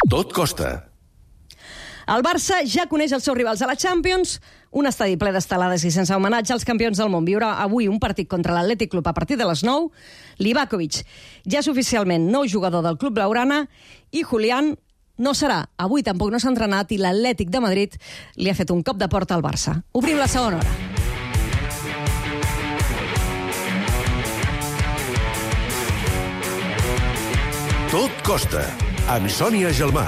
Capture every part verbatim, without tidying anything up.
Tot costa. El Barça ja coneix els seus rivals a la Champions, un estadi ple d'estelades i sense homenatge als campions del món. Viurà avui un partit contra l'Atlètic Club a partir de les nou. Livakovic ja és oficialment nou jugador del Club Blaugrana i Julián no serà. Avui tampoc no s'ha entrenat i l'Atlètic de Madrid li ha fet un cop de porta al Barça. Obrim la segona hora. Tot costa, amb Sònia Gelmà.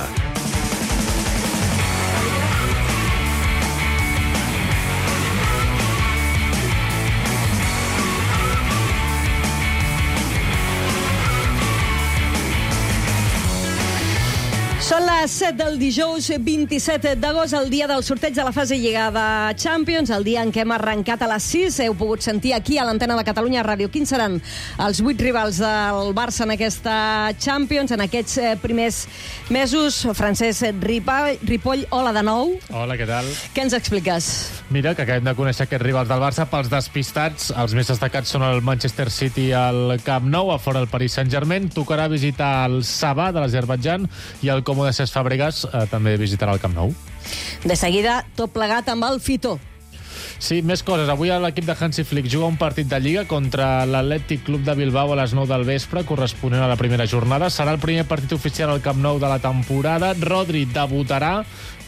Són les set del dijous vint-i-set d'agost, el dia del sorteig de la fase Lliga de Champions, el dia en què hem arrencat a les sis. Heu pogut sentir aquí a l'antena de Catalunya Ràdio quins seran els vuit rivals del Barça en aquesta Champions, en aquests primers mesos. Francesc Ripoll, hola de nou. Hola, què tal? Què ens expliques? Mira, que acabem de conèixer aquests rivals del Barça. Pels despistats, els més destacats són el Manchester City al Camp Nou, a fora el Paris Saint-Germain. Tocarà visitar el Sabah de l'Azerbaidjan i el Comú de Cesc Fàbregas eh, també visitarà el Camp Nou. De seguida, tot plegat amb el Fitó. Sí, més coses. Avui l'equip de Hansi Flick juga un partit de Lliga contra l'Atlètic Club de Bilbao a les nou del vespre, corresponent a la primera jornada. Serà el primer partit oficial al Camp Nou de la temporada. Rodri debutarà,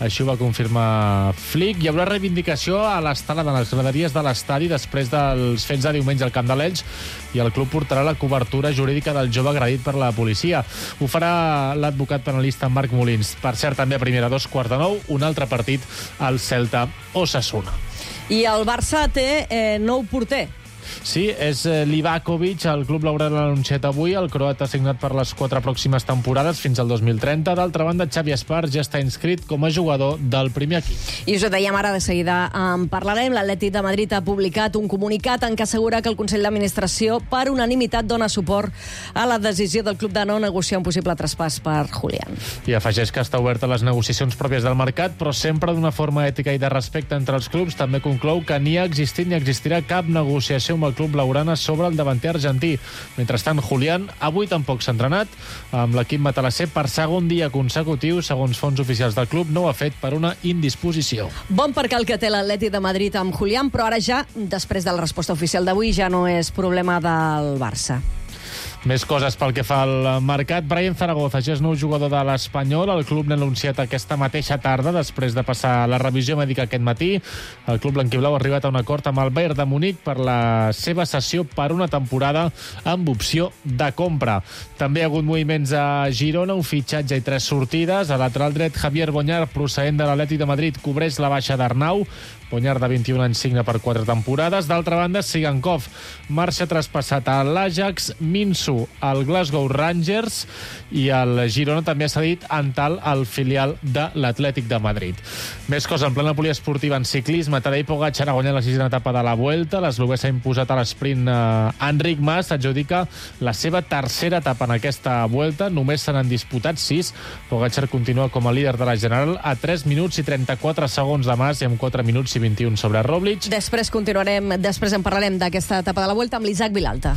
així ho va confirmar Flick. Hi haurà reivindicació a l'estelada, a les graderies de l'estadi, després dels fets de diumenge al Camp de l'Elx, i el club portarà la cobertura jurídica del jove agredit per la policia. Ho farà l'advocat penalista Marc Molins. Per cert, també a primera, dos quarts de nou, un altre partit al Celta Osasuna. I el Barça té eh, nou porter. Sí, és Livakovic. El club blaugrana l'ha anunciat avui. El croat ha signat per les quatre pròximes temporades fins al dos mil trenta. D'altra banda, Xavi Espart ja està inscrit com a jugador del primer equip. I us ho dèiem ara, de seguida en parlarem. L'Atlètic de Madrid ha publicat un comunicat en què assegura que el Consell d'Administració per unanimitat dona suport a la decisió del club de no negociar un possible traspàs per Julián. I afegeix que està oberta a les negociacions pròpies del mercat, però sempre d'una forma ètica i de respecte entre els clubs. També conclou que ni ha existit ni existirà cap negociació amb el club blaugrana sobre el davanter argentí. Mentrestant, Julián avui tampoc s'ha entrenat amb l'equip matalasser per segon dia consecutiu. Segons fonts oficials del club, no ho ha fet per una indisposició. Bon perquè el que té l'Atlètic de Madrid amb Julián, però ara ja, després de la resposta oficial d'avui, ja no és problema del Barça. Més coses pel que fa al mercat. Brian Zaragoza ja és nou jugador de l'Espanyol. El club l'ha anunciat aquesta mateixa tarda, després de passar la revisió mèdica aquest matí. El club blanquiblau ha arribat a un acord amb el Bayern de Munic per la seva cessió per una temporada amb opció de compra. També hi ha hagut moviments a Girona, un fitxatge i tres sortides. A lateral dret, Javier Boñar, procedent de l'Atlètic de Madrid, cobreix la baixa d'Arnau. Boñar, de vint-i-un anys, signa per quatre temporades. D'altra banda, Sigankov marxa traspassat a l'Ajax, Minsu al Glasgow Rangers i el Girona també ha cedit Antal al filial de l'Atlètic de Madrid. Més cosa en plena poliesportiva en ciclisme. Tadej Pogačar ha guanyat la sisena etapa de la Vuelta. L'eslovè s'ha imposat a l'esprint. Eh, Enric Mas adjudica la seva tercera etapa en aquesta Vuelta. Només se n'han disputat sis. Pogačar continua com a líder de la general a tres minuts i trenta-quatre segons de Mas i amb quatre minuts i vint-i-un sobre Roglic. Després continuarem, després en parlarem d'aquesta etapa de la Vuelta amb l'Isaac Vilalta.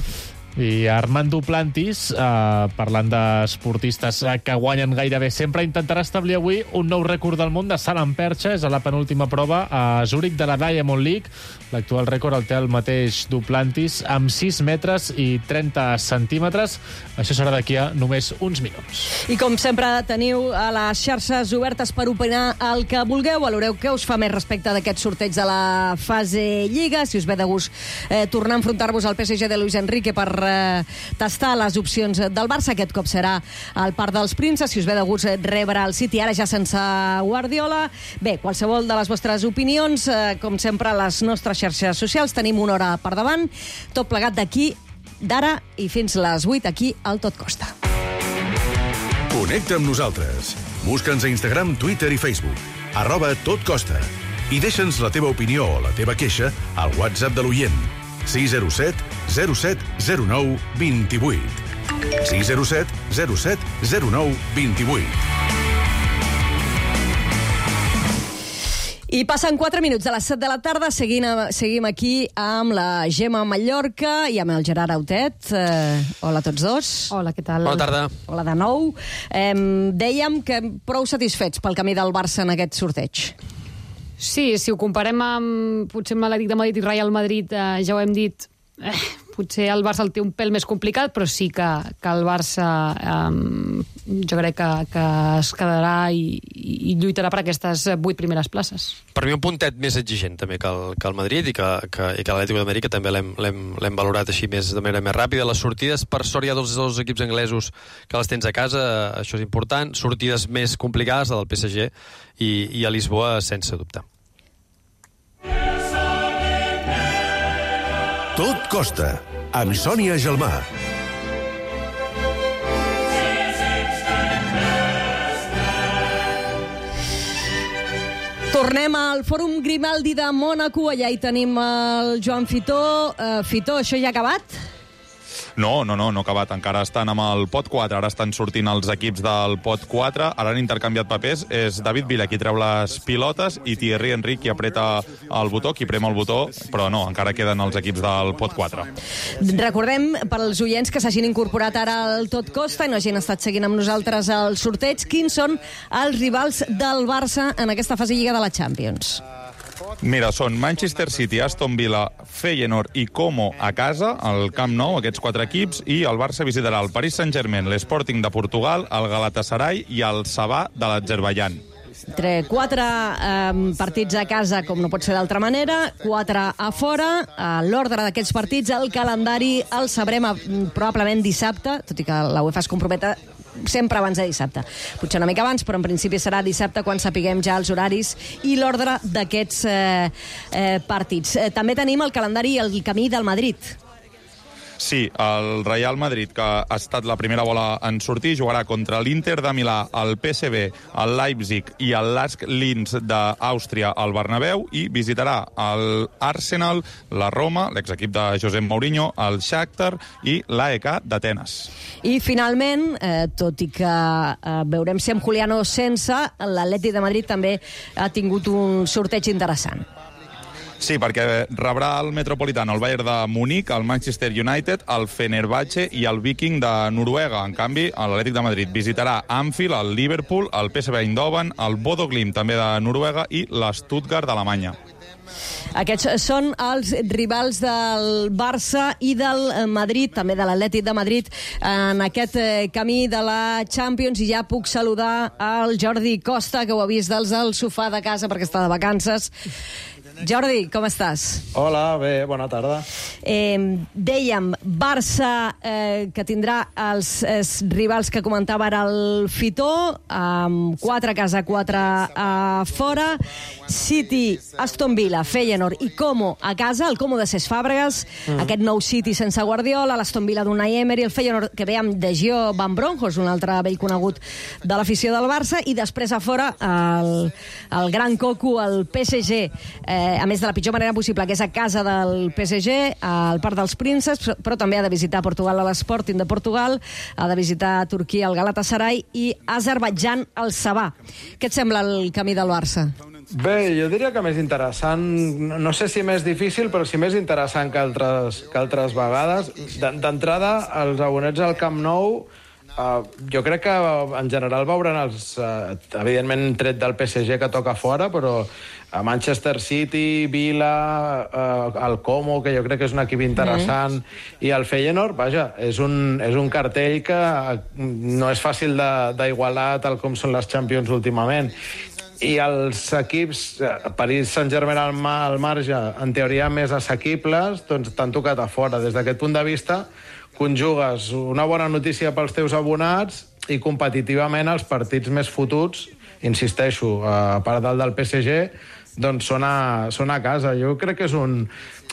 I Armand Duplantis, eh, parlant d'esportistes que guanyen gairebé sempre, intentarà establir avui un nou rècord del món de salt en perxa. És a la penúltima prova a Zúrich de la Diamond League. L'actual rècord el té el mateix Duplantis amb sis metres i trenta centímetres. Això serà d'aquí a només uns minuts. I com sempre teniu a les xarxes obertes per opinar el que vulgueu. Valoreu què us fa més respecte d'aquest sorteig de la fase Lliga. Si us ve de gust eh, tornar a enfrontar-vos al P S G de Luis Enrique per eh, tastar les opcions del Barça. Aquest cop serà al Parc dels Prínceps. Si us ve de gust rebre el City, ara ja sense Guardiola. Bé, qualsevol de les vostres opinions, eh, com sempre, a les nostres xarxes socials. Tenim una hora per davant. Tot plegat d'aquí, d'ara i fins les vuit, aquí al Tot Costa. Connecta amb nosaltres. Busca'ns a Instagram, Twitter i Facebook. Arroba Tot Costa. I deixa'ns la teva opinió o la teva queixa al WhatsApp de l'oient. sis zero set zero set zero nou dos vuit. sis zero set zero set zero nou dos vuit. I passen quatre minuts de les set de la tarda, seguim, seguim aquí amb la Gemma Mallorca i amb el Gerard Autet. Eh, hola a tots dos. Hola, què tal? Bona tarda. Hola de nou. Eh, dèiem que prou satisfets pel camí del Barça en aquest sorteig. Sí, si ho comparem amb, potser amb l'Atlètic de Madrid i Real Madrid, eh, ja ho hem dit, eh, potser el Barça el té un pèl més complicat, però sí que, que el Barça eh, jo crec que, que es quedarà i, i lluitarà per aquestes vuit primeres places. Per mi un puntet més exigent també que el, que el Madrid i que, que, i que l'Atlètic de Madrid, que també l'hem valorat així més, de manera més ràpida. Les sortides, per sort hi ha dos, dos equips anglesos que les tens a casa, això és important. Sortides més complicades, la del P S G i, i a Lisboa, sense dubte. Tot costa, amb Sònia Gelmà. Tornem al Fòrum Grimaldi de Mònaco. Allà hi tenim el Joan Fitó. Uh, Fitó, això ja ha acabat? No, no, no, no ha acabat. Encara estan amb el pot quatre. Ara estan sortint els equips del pot quatre. Ara han intercanviat papers. És David Villa qui treu les pilotes i Thierry Henry qui apreta el botó, qui prema el botó, però no, encara queden els equips del pot quatre. Recordem, per als oients que s'hagin incorporat ara al Tot Costa i no hagin estat seguint amb nosaltres el sorteig, quins són els rivals del Barça en aquesta fase lliga de la Champions? Mira, són Manchester City, Aston Villa, Feyenoord i Como a casa, al Camp Nou, aquests quatre equips, i el Barça visitarà el Paris Saint-Germain, l'Sporting de Portugal, el Galatasaray i el Sabah de l'Azerbaidjan. Entre quatre eh, partits a casa, com no pot ser d'altra manera, quatre a fora. A l'ordre d'aquests partits, el calendari el sabrem a, probablement dissabte, tot i que la UEFA es comprometa sempre abans de dissabte. Potser una mica abans, però en principi serà dissabte quan sapiguem ja els horaris i l'ordre d'aquests eh, eh, partits. Eh, també tenim el calendari i el camí del Madrid. Sí, el Real Madrid, que ha estat la primera bola en sortir, jugarà contra l'Inter de Milà, el P S V, el Leipzig i el Lask Linz d'Àustria al Bernabéu i visitarà l'Arsenal, la Roma, l'exequip de Josep Mourinho, el Shakhtar i l'A E K d'Atenes. I finalment, eh, tot i que eh, veurem si amb Juliano sense, l'Atlètic de Madrid també ha tingut un sorteig interessant. Sí, perquè rebrà el Metropolitano, el Bayern de Munic, el Manchester United, el Fenerbahçe i el Viking de Noruega. En canvi, l'Atlètic de Madrid visitarà Anfield, el Liverpool, el P S V Eindhoven, el Bodo Glimt, també de Noruega, i l'Stuttgart d'Alemanya. Aquests són els rivals del Barça i del Madrid, també de l'Atlètic de Madrid, en aquest camí de la Champions. I ja puc saludar el Jordi Costa, que ho ha vist dels del sofà de casa perquè està de vacances. Jordi, com estàs? Hola, bé, bona tarda. Eh, dèiem, Barça, eh, que tindrà els, els rivals que comentava ara el Fitó, amb quatre a casa, quatre a fora. City, Aston Villa, Feyenoord i Como a casa, el Como de Cesc Fàbregas, mm. aquest nou City sense Guardiola, l'Aston Villa d'Unai Emery, el Feyenoord que ve amb De Gio Van Bronckhorst, un altre vell conegut de l'afició del Barça, i després a fora el, el gran coco, el P S G, eh, a més de la pitjor manera possible, que és a casa del P S G, al Parc dels Prínceps, però també ha de visitar Portugal a l'Sporting de Portugal, ha de visitar Turquia el Galatasaray i Azerbaidjan el Sabah. Què et sembla el camí del Barça? Bé, jo diria que més interessant, no sé si més difícil, però sí més interessant que altres, que altres vegades. D'entrada, els abonats al Camp Nou, uh, jo crec que en general veuran els, uh, evidentment tret del P S G que toca fora, però a Manchester City, Villa, uh, el Como, que jo crec que és un equip interessant, mm. i el Feyenoord, vaja, és un, és un cartell que no és fàcil d'igualar tal com són les Champions últimament. I els equips, Paris Saint-Germain al, al marge, en teoria més assequibles, doncs t'han tocat a fora. Des d'aquest punt de vista, conjugues una bona notícia pels teus abonats i competitivament els partits més fotuts, insisteixo, a part del del P S G, doncs són a, són a casa. Jo crec que és un,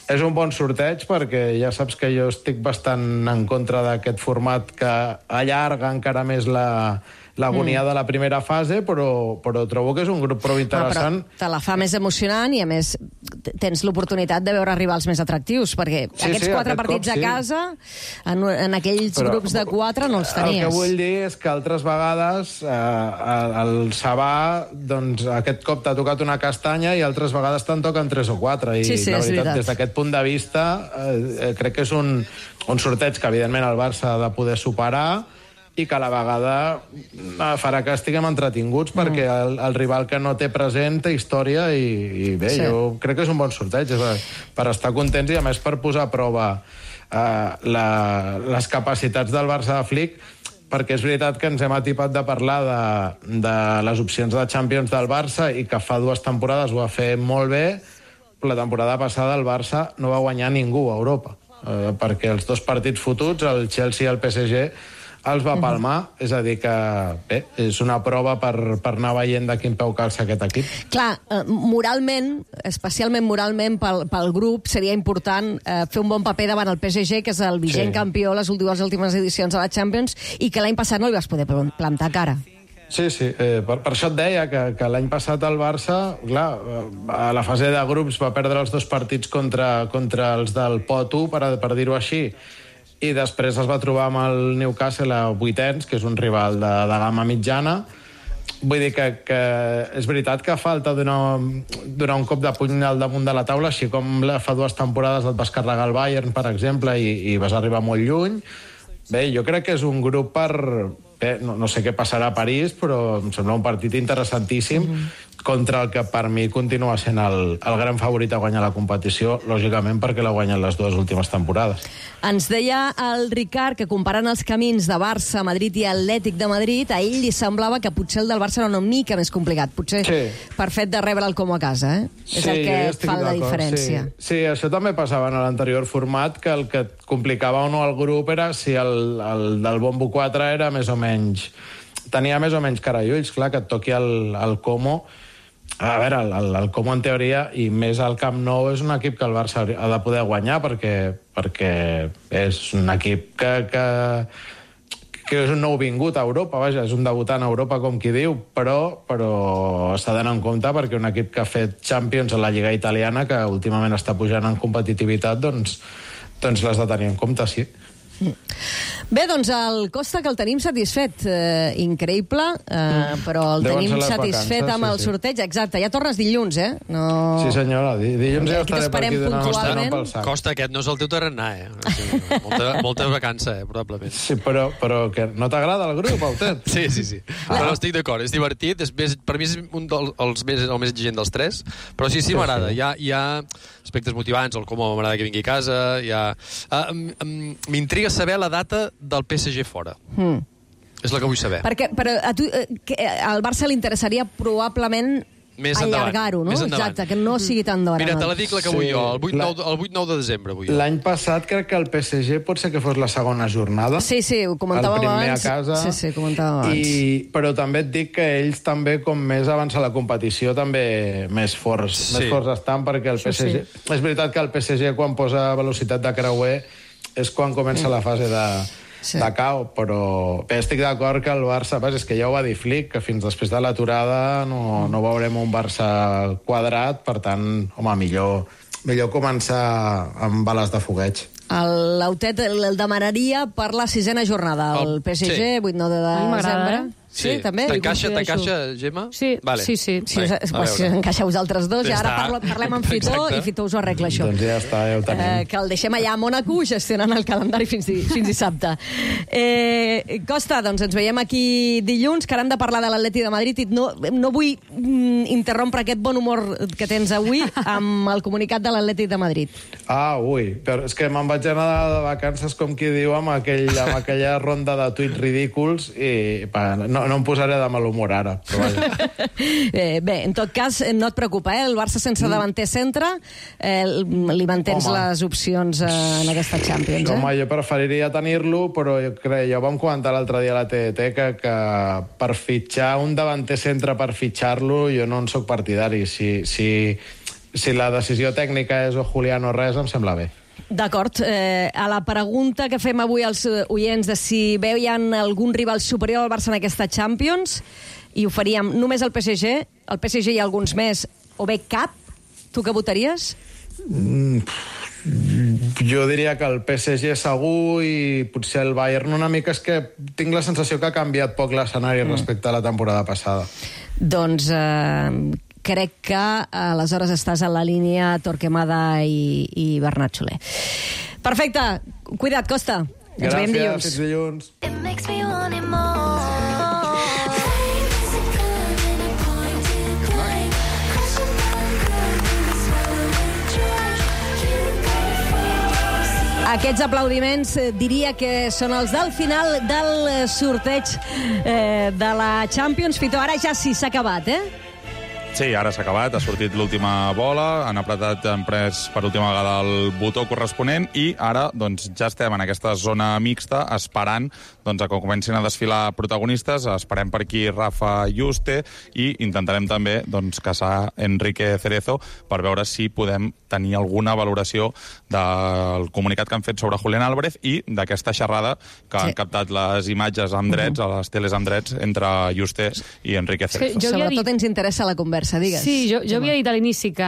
és un bon sorteig, perquè ja saps que jo estic bastant en contra d'aquest format que allarga encara més la, l'agonia mm. de la primera fase, però, però trobo que és un grup prou interessant. Ah, però te la fa més emocionant i, a més, tens l'oportunitat de veure rivals més atractius, perquè sí, aquests sí, quatre aquest partits cop, sí. a casa, en, en aquells però, grups de quatre no els tenies. El que vull dir és que altres vegades eh, el Sabà, doncs, aquest cop t'ha tocat una castanya i altres vegades te'n toquen tres o quatre. I sí, sí, la veritat, veritat, des d'aquest punt de vista, eh, crec que és un, un sorteig que, evidentment, el Barça ha de poder superar i que a la vegada farà que estiguem entretinguts, mm. perquè el, el rival que no té present té història i, i bé, sí. jo crec que és un bon sorteig és per estar contents i, a més, per posar a prova eh, la, les capacitats del Barça de Flick, perquè és veritat que ens hem atipat de parlar de, de les opcions de Champions del Barça i que fa dues temporades ho va fer molt bé. La temporada passada el Barça no va guanyar ningú a Europa, eh, perquè els dos partits fotuts, el Chelsea i el P S G, els va palmar, uh -huh. és a dir que bé, és una prova per, per anar veient de quin peu calça aquest equip. Clar, eh, moralment, especialment moralment pel, pel grup, seria important eh, fer un bon paper davant el P S G, que és el vigent sí. campió les últimes, les últimes edicions de la Champions, i que l'any passat no li vas poder plantar cara. Sí, sí, eh, per, per això et deia que, que l'any passat el Barça, clar, a la fase de grups va perdre els dos partits contra, contra els del Pot u, per, per dir-ho així, i després es va trobar amb el Newcastle a vuitens, que és un rival de, de gamma mitjana. Vull dir que, que és veritat que falta donar, donar un cop de puny al damunt de la taula, així com fa dues temporades et vas carregar el Bayern, per exemple, i, i vas arribar molt lluny. Bé, jo crec que és un grup per... Bé, no, no sé què passarà a París, però em sembla un partit interessantíssim mm-hmm. contra el que per mi continua sent el, el gran favorit a guanyar la competició, lògicament perquè l'ha guanyat les dues últimes temporades. Ens deia el Ricard que, comparant els camins de Barça, Madrid i Atlètic de Madrid, a ell li semblava que potser el del Barça era una mica més complicat, potser sí. per fet de rebre el Como a casa, eh? Sí, és el que fa la diferència. Sí. sí, això també passava en l'anterior format, que el que et complicava o no el grup era si el, el del Bombo quatre era més o menys... tenia més o menys cara i ulls, clar, que et toqui el, el Como. A veure, el, el, el Como en teoria, i més al Camp Nou, és un equip que el Barça ha de poder guanyar, perquè, perquè és un equip que, que, que és un nou vingut a Europa, vaja, és un debutant a Europa, com qui diu, però, però s'ha d'anar en compte perquè un equip que ha fet Champions a la Lliga Italiana, que últimament està pujant en competitivitat, doncs, doncs l'has de tenir en compte, sí. Bé, doncs el Costa, que el tenim satisfet, eh, increïble, eh, però el Deuen tenim satisfet vacances, amb sí, el sí. sorteig. Exacte, ja tornes dilluns, eh? No... Sí, senyora, dilluns ja estaré per aquí donant puntualment. pel sac. Costa, aquest no és el teu tarannà, eh? Molta, molta vacança, eh, probablement. Sí, però, però que no t'agrada el grup, Autet? Sí, sí, sí. Ah. Però estic d'acord, és divertit, és més, per mi és un dels més, el més exigent dels tres, però sí, sí, m'agrada. Hi ha, hi ha aspectes motivants, el com m'agrada que vingui a casa, hi ha... Uh, m'intriga saber la data del P S G fora. Mm. És la que vull saber. Perquè, però a tu, eh, que al Barça li interessaria probablement allargar-ho, no? Exacte, que no sigui tan d'hora. Mira, te la dic la que vull jo, el vuit nou de desembre vull jo. L'any passat crec que el P S G pot ser que fos la segona jornada. Sí, sí, ho comentàvem abans. El primer a casa. Sí, sí, comentàvem abans. I, però també et dic que ells també, com més avança la competició, també més forts, sí. més forts estan, perquè el P S G... Sí, sí. És veritat que el P S G, quan posa velocitat de creuer, és quan comença la fase de, sí. de cau, però bé, estic d'acord que el Barça, vas, és que ja ho va dir Flick, que fins després de l'aturada no, no veurem un Barça quadrat, per tant, home, millor, millor començar amb bales de fogueig. L'Autet el, el demanaria per la sisena jornada, el P S G, sí. vuit nou de desembre. Sí, sí, també. T'encaixa, t'encaixa, Gemma? Sí, vale. sí, sí. Si us, pues, si us encaixa vosaltres dos, ja ara parlo, parlem amb Fitó i Fitó us ho arregla, això. Doncs ja està, ja ho tenim. Eh, que el deixem allà a Mònaco gestionant el calendari fins, di, fins dissabte. Eh, Costa, doncs ens veiem aquí dilluns, que ara hem de parlar de l'Atleti de Madrid i no, no vull mm, interrompre aquest bon humor que tens avui amb el comunicat de l'Atleti de Madrid. Ah, ui, però és que me'n vaig anar de vacances, com qui diu, amb, aquell, amb aquella ronda de tuits ridículs i pa, no, no em posaré de mal humor ara, però vaja. eh, bé, en tot cas, no et preocupa, eh? El Barça sense davanter centre, eh, li mantens Home. les opcions eh, en aquesta Champions, eh? Home, jo preferiria tenir-lo, però jo crec, ja ho vam comentar l'altre dia a la T D T, que, que per fitxar un davanter centre, per fitxar-lo, jo no en sóc partidari. Si, si, si la decisió tècnica és o Julián o res, em sembla bé. D'acord. Eh, a la pregunta que fem avui als oients de si veien algun rival superior al Barça en aquesta Champions, i ho faríem només al P S G, el P S G i alguns més, o bé cap, tu què votaries? Mm, jo diria que el P S G segur i potser el Bayern una mica. És que tinc la sensació que ha canviat poc l'escenari mm. respecte a la temporada passada. Doncs eh, crec que aleshores estàs a la línia Torquemada i, i Bernat Soler. Perfecte. Cuida't, Costa. Ens veiem dilluns. Gràcies, fins dilluns. It makes me want it more. Aquests aplaudiments eh, diria que són els del final del eh, sorteig eh, de la Champions. Fito, ara ja sí s'ha acabat, eh? Sí, ara s'ha acabat, ha sortit l'última bola, han apretat, han pres per última vegada el botó corresponent i ara doncs, ja estem en aquesta zona mixta esperant doncs, a que comencin a desfilar protagonistes. Esperem per aquí Rafa Yuste i intentarem també doncs, caçar Enrique Cerezo per veure si podem tenir alguna valoració del comunicat que han fet sobre Julián Álvarez i d'aquesta xerrada que sí. han captat les imatges amb drets, uh -huh. a les teles amb drets, entre Yuste i Enrique Cerezo. Sí, sobretot dit... ens interessa la conversa. Digues. Sí, jo, jo havia dit a l'inici que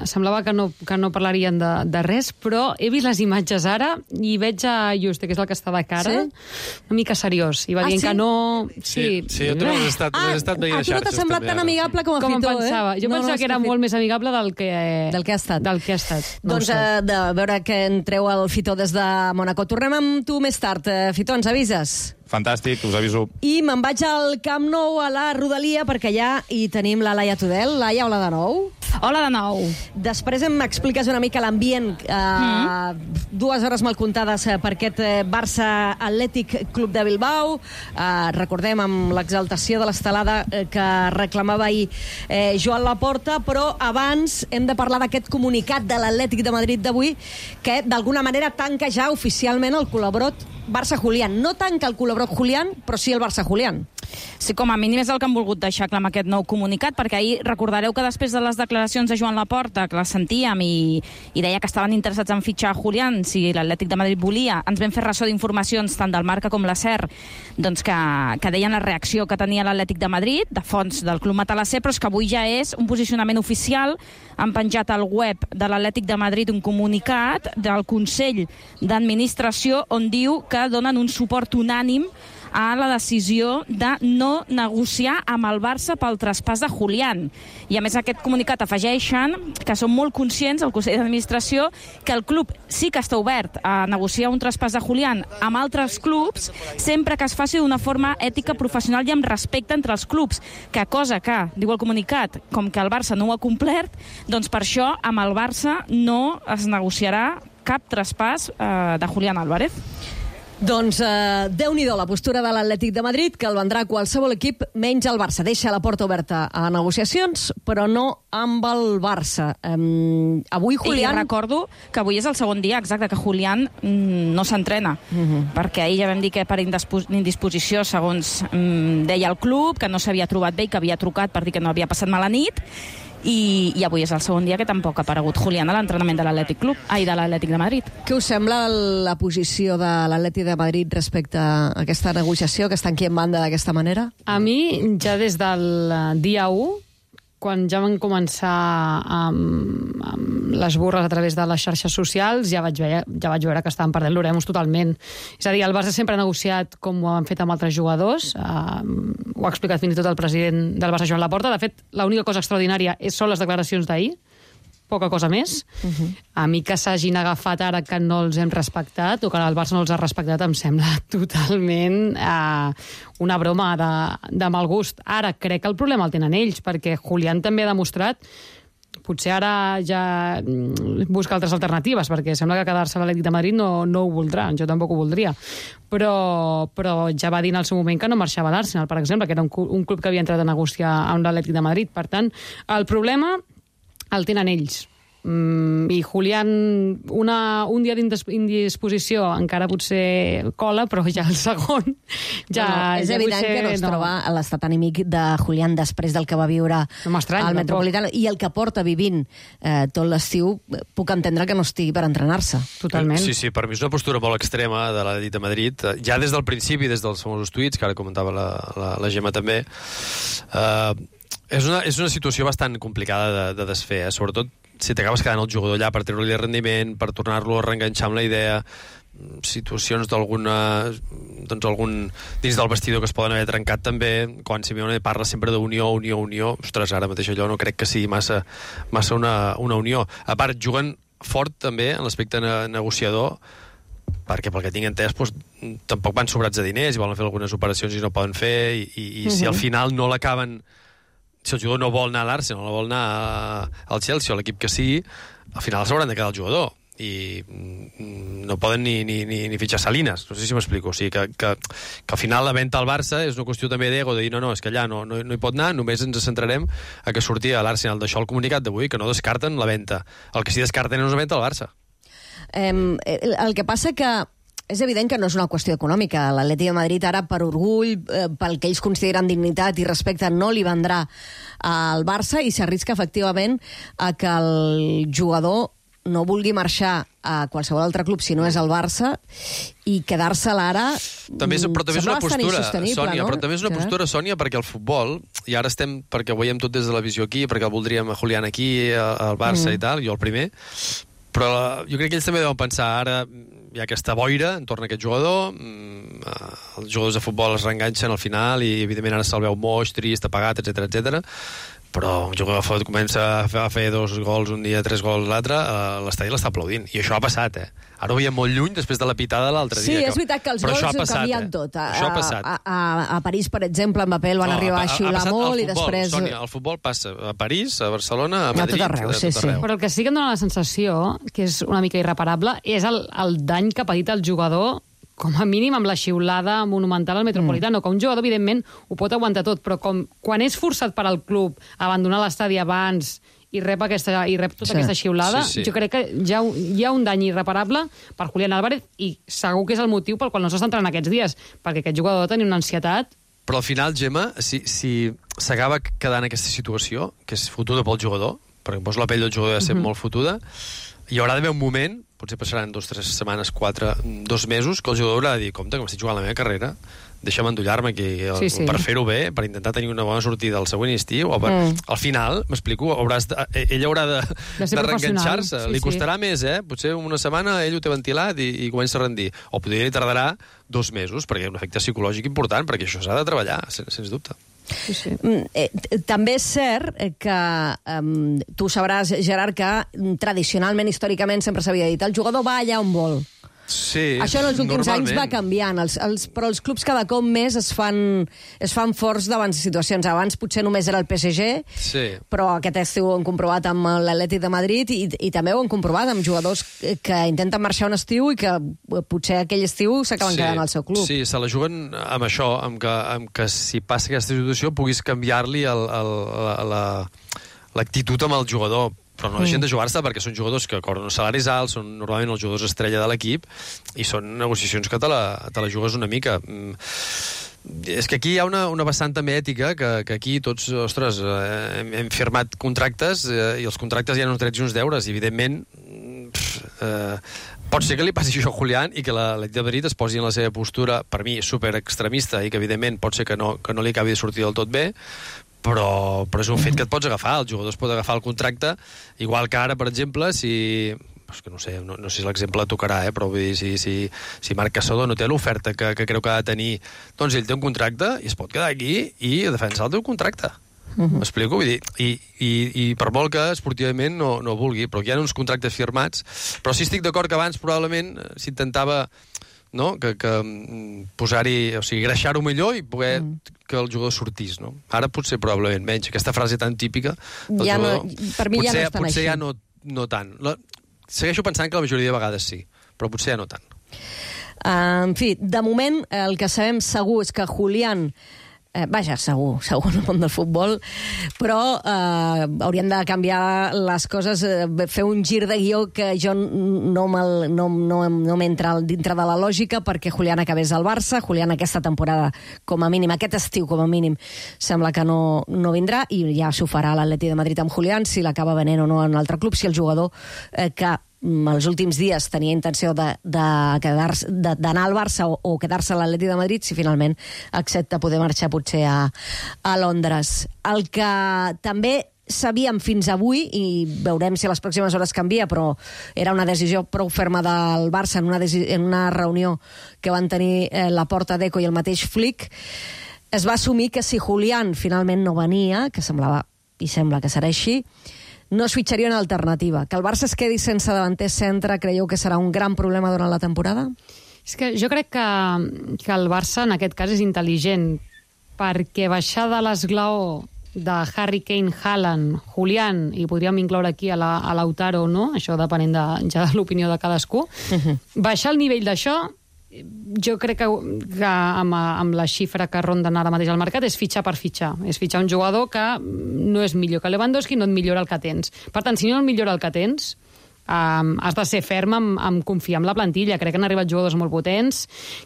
semblava que no, que no parlarien de, de res, però he vist les imatges ara i veig a Juste, que és el que està de cara, sí? una mica seriós. I va ah, dient sí? que no... Sí, sí, sí jo també l'he estat, ah, estat veient a tu no t'ha semblat tan amigable com a com Fito, em pensava. eh? Jo no, pensava no, que era molt més amigable del que, del que ha estat. Del que ha estat. No doncs eh, de veure que en treu el Fito des de Mónaco. Tornem amb tu més tard. Eh, Fito, ens avises? Fantàstic, us aviso. I me'n vaig al Camp Nou, a la Rodalia, perquè allà hi tenim la Laia Tudel. Laia, hola de nou. Hola de nou. Després em expliques una mica l'ambient. Eh, mm. Dues hores mal comptades per aquest Barça Atlètic Club de Bilbao. Eh, recordem amb l'exaltació de l'estelada eh, que reclamava ahir eh, Joan Laporta, però abans hem de parlar d'aquest comunicat de l'Atlètic de Madrid d'avui, que d'alguna manera tanca ja oficialment el col·laborat Barça-Julián. No tanca el col·laborat Julián, però sí el Barça-Julián. Sí, com a mínim és el que han volgut deixar clar amb aquest nou comunicat, perquè ahir recordareu que després de les declaracions de Joan Laporta, que les sentíem i, i deia que estaven interessats en fitxar Julián, si l'Atlètic de Madrid volia, ens vam fer ressò d'informacions tant del Marca com la SER, doncs que, que deien la reacció que tenia l'Atlètic de Madrid, de fons del Club Matalasser, però és que avui ja és un posicionament oficial. Han penjat al web de l'Atlètic de Madrid un comunicat del Consell d'Administració on diu que donen un suport unànim a la decisió de no negociar amb el Barça pel traspàs de Julián. I a més aquest comunicat afegeixen que són molt conscients, el Consell d'Administració, que el club sí que està obert a negociar un traspàs de Julián amb altres clubs, sempre que es faci d'una forma ètica, professional i amb respecte entre els clubs, que cosa que, diu el comunicat, com que el Barça no ho ha complert, doncs per això amb el Barça no es negociarà cap traspàs eh, de Julián Álvarez. Doncs eh, Déu-n'hi-do la postura de l'Atlètic de Madrid, que el vendrà qualsevol equip menys el Barça. Deixa la porta oberta a negociacions, però no amb el Barça. Um, avui Julián... I recordo que avui és el segon dia exacte que Julián mm, no s'entrena, uh -huh. perquè ahir ja vam dir que per indisposició, segons mm, deia el club, que no s'havia trobat bé i que havia trucat per dir que no havia passat mala nit, I, i avui és el segon dia que tampoc ha aparegut Julián a l'entrenament de l'Atlètic Club, ai, de l'Atlètic de Madrid. Què us sembla la posició de l'Atlètic de Madrid respecte a aquesta negociació, que està aquí en banda d'aquesta manera? A mi, ja des del dia u, quan ja van començar amb, amb les burres a través de les xarxes socials, ja vaig veure, ja vaig veure que estaven perdent l'Oremus totalment. És a dir, el Barça sempre ha negociat com ho han fet amb altres jugadors, eh, ho ha explicat fins i tot el president del Barça, Joan Laporta. De fet, l'única cosa extraordinària són les declaracions d'ahir, poca cosa més. Uh -huh. A mi que s'hagin agafat ara que no els hem respectat o que el Barça no els ha respectat em sembla totalment eh, una broma de, de mal gust. Ara crec que el problema el tenen ells, perquè Julián també ha demostrat, potser ara ja busca altres alternatives, perquè sembla que quedar-se a l'Atlètic de Madrid no, no ho voldrà, jo tampoc ho voldria, però, però ja va dir en el seu moment que no marxava a l'Arsenal, per exemple, que era un, un club que havia entrat a negociar amb l'Atlètic de Madrid. Per tant, el problema el tenen ells. Mm, I Julián, una, un dia d'indisposició encara potser cola, però ja el segon ja... No, no, és ja evident potser, que no es no. troba a l'estat anímic de Julián després del que va viure No m'estranya, al tampoc. Metropolitano i el que porta vivint eh, tot l'estiu, puc entendre que no estigui per entrenar-se. Totalment. Sí, sí, per mi és una postura molt extrema de l'Atlètic de Madrid. Ja des del principi, des dels famosos tuits, que ara comentava la, la, la Gemma també, eh, és, una, és una situació bastant complicada de, de desfer, eh? Sobretot si t'acabes quedant el jugador allà per treure-li rendiment, per tornar-lo a reenganxar amb la idea, situacions d'alguna doncs algun dins del vestidor que es poden haver trencat també, quan Simeone parla sempre d'unió, unió, unió, ostres, ara mateix allò no crec que sigui massa, massa una, una unió. A part, juguen fort també en l'aspecte ne negociador, perquè pel que tinc entès doncs, tampoc van sobrats de diners i volen fer algunes operacions i no poden fer, i, i, i uh-huh. si al final no l'acaben, si el jugador no vol anar a l'Arsenal, no vol anar al Chelsea o a l'equip que sigui, al final s'hauran de quedar el jugador i no poden ni, ni, ni, ni fitxar Salinas, no sé si m'explico. O sigui que, que, que al final la venda al Barça és una qüestió també d'ego, de dir no, no, és que allà no, no, no hi pot anar, només ens centrarem a que surti a l'Arsenal. D'això el comunicat d'avui, que no descarten la venda. El que sí descarten és una venda al Barça. Eh, el que passa que és evident que no és una qüestió econòmica. L'Atlètic de Madrid ara, per orgull, eh, pel que ells consideren dignitat i respecte, no li vendrà al Barça i s'arrisca efectivament a que el jugador no vulgui marxar a qualsevol altre club si no és el Barça i quedar-se-la ara també és, però també és una postura, Sònia, no? però també és una postura, Sònia, perquè el futbol, i ara estem, perquè ho veiem tot des de la visió aquí, perquè el voldríem a Julián aquí, al Barça mm. i tal, jo el primer, però jo crec que ells també deuen pensar, ara hi ha aquesta boira entorn a aquest jugador, els jugadors de futbol es reenganxen al final i evidentment ara se'l veu moix, trist, apagat, etcètera, etcètera. Però un jugador de fot comença a fer, a fer dos gols un dia, tres gols l'altre, eh, l'estadi l'està aplaudint. I això ha passat, eh? Ara ho veiem molt lluny després de la pitada l'altre sí, dia. Sí, és veritat que els gols ho canvien eh? tot. A, això ha passat. A, a, a París, per exemple, Mbappé el van no, arribar a xiular molt futbol, i després... Sònia, el futbol passa a París, a Barcelona, a Madrid... A tot arreu, sí, sí. Però el que sí que em dona la sensació, que és una mica irreparable, és el, el dany que ha patit el jugador com a mínim amb la xiulada monumental al Metropolitano, mm. que un jugador, evidentment, ho pot aguantar tot, però com quan és forçat per al club a abandonar l'estadi abans i rep, aquesta, i rep tota sí. aquesta xiulada, sí, sí. jo crec que ja hi ha un dany irreparable per Julián Álvarez i segur que és el motiu pel qual no s'està entrant aquests dies, perquè aquest jugador tenia una ansietat. Però al final, Gemma, si, si s'acaba quedant aquesta situació, que és fotuda pel jugador, perquè poso la pell del jugador de ser mm-hmm. molt fotuda, hi haurà d'haver un moment, potser passaran dos, tres setmanes, quatre, dos mesos, que el jugador haurà de dir, compte, que m'estic jugant la meva carrera, deixa'm endollar-me aquí, sí, sí. per fer-ho bé, per intentar tenir una bona sortida al següent estiu, o per... mm. al final, m'explico, hauràs de... ell haurà de, de, de reenganxar-se. Sí, li costarà sí. més, eh? Potser una setmana ell ho té ventilat i, i comença a rendir. O potser li tardarà dos mesos, perquè hi ha un efecte psicològic important, perquè això s'ha de treballar, sens, sens dubte. Sí, sí. Eh, també és cert que um, tu sabràs, Gerard, que tradicionalment, històricament, sempre s'havia dit el jugador va allà on vol. Sí, això en els últims anys va canviant, els, els, però els clubs cada cop més es fan, es fan forts davant de situacions. Abans potser només era el P S G, sí. però aquest estiu ho han comprovat amb l'Atlètic de Madrid i, i també ho han comprovat amb jugadors que intenten marxar un estiu i que potser aquell estiu s'acaben sí. quedant al seu club. Sí, se la juguen amb això, amb que, amb que si passa aquesta situació puguis canviar-li el, el, la, l'actitud la, amb el jugador, però no deixen de jugar-se perquè són jugadors que cobren uns salaris alts, són normalment els jugadors estrella de l'equip i són negociacions que te la, te la jugues una mica. És que aquí hi ha una, una vessant també ètica que, que aquí tots, ostres, eh, hem, hem firmat contractes eh, i els contractes hi ha uns drets i uns deures i evidentment pff, eh, pot ser que li passi això a Julián i que l'Atlètic de Madrid es posi en la seva postura, per mi, super extremista i que evidentment pot ser que no, que no li acabi de sortir del tot bé, però, però és un fet que et pots agafar, el jugador es pot agafar el contracte, igual que ara, per exemple, si... És que no sé, no, no sé si l'exemple tocarà, eh, però vull dir, si, si, si Marc Caçador no té l'oferta que, que creu que ha de tenir, doncs ell té un contracte i es pot quedar aquí i defensar el teu contracte. M'explico? Vull dir, i, i, i per molt que esportivament no, no vulgui, però hi ha uns contractes firmats, però sí estic d'acord que abans probablement s'intentava... no? que, que posar-hi, o sigui, greixar-ho millor i poder mm. que el jugador sortís, no? Ara potser probablement menys. Aquesta frase tan típica del ja jugador, no, per mi potser, ja no és tan potser així. ja no, no tant. La, segueixo pensant que la majoria de vegades sí, però potser ja no tant. Uh, en fi, de moment el que sabem segur és que Julián Eh, vaja, segur, segur en el món del futbol, però eh, hauríem de canviar les coses, eh, fer un gir de guió que jo no, no, no, no m'entra dintre de la lògica, perquè Julián acabés al Barça, Julián aquesta temporada, com a mínim, aquest estiu com a mínim, sembla que no, no vindrà, i ja s'ho farà l'Atleti de Madrid amb Julián, si l'acaba venent o no en un altre club, si el jugador eh, que els últims dies tenia intenció de, de quedar-se, de, d'anar al Barça o, o quedar-se a l'Atleti de Madrid, si finalment accepta poder marxar potser a, a Londres. El que també sabíem fins avui, i veurem si a les pròximes hores canvia, però era una decisió prou ferma del Barça en una, en una reunió que van tenir eh, la Porta d'Eco i el mateix Flick, es va assumir que si Julián finalment no venia, que semblava i sembla que serà així, no es fitxaria una alternativa. Que el Barça es quedi sense davanter centre, creieu que serà un gran problema durant la temporada? És que jo crec que, que el Barça en aquest cas és intel·ligent, perquè baixar de l'esglaó de Harry Kane, Haaland, Julián, i podríem incloure aquí a, la, a Lautaro, no? Això depenent de, ja de l'opinió de cadascú, uh-huh. Baixar el nivell d'això, jo crec que, que amb, amb la xifra que ronden ara mateix al mercat és fitxar per fitxar. És fitxar un jugador que no és millor que Lewandowski, no et millora el que tens. Per tant, si no et millora el que tens, um, has de ser ferm amb, amb confiar en la plantilla. Crec que han arribat jugadors molt potents.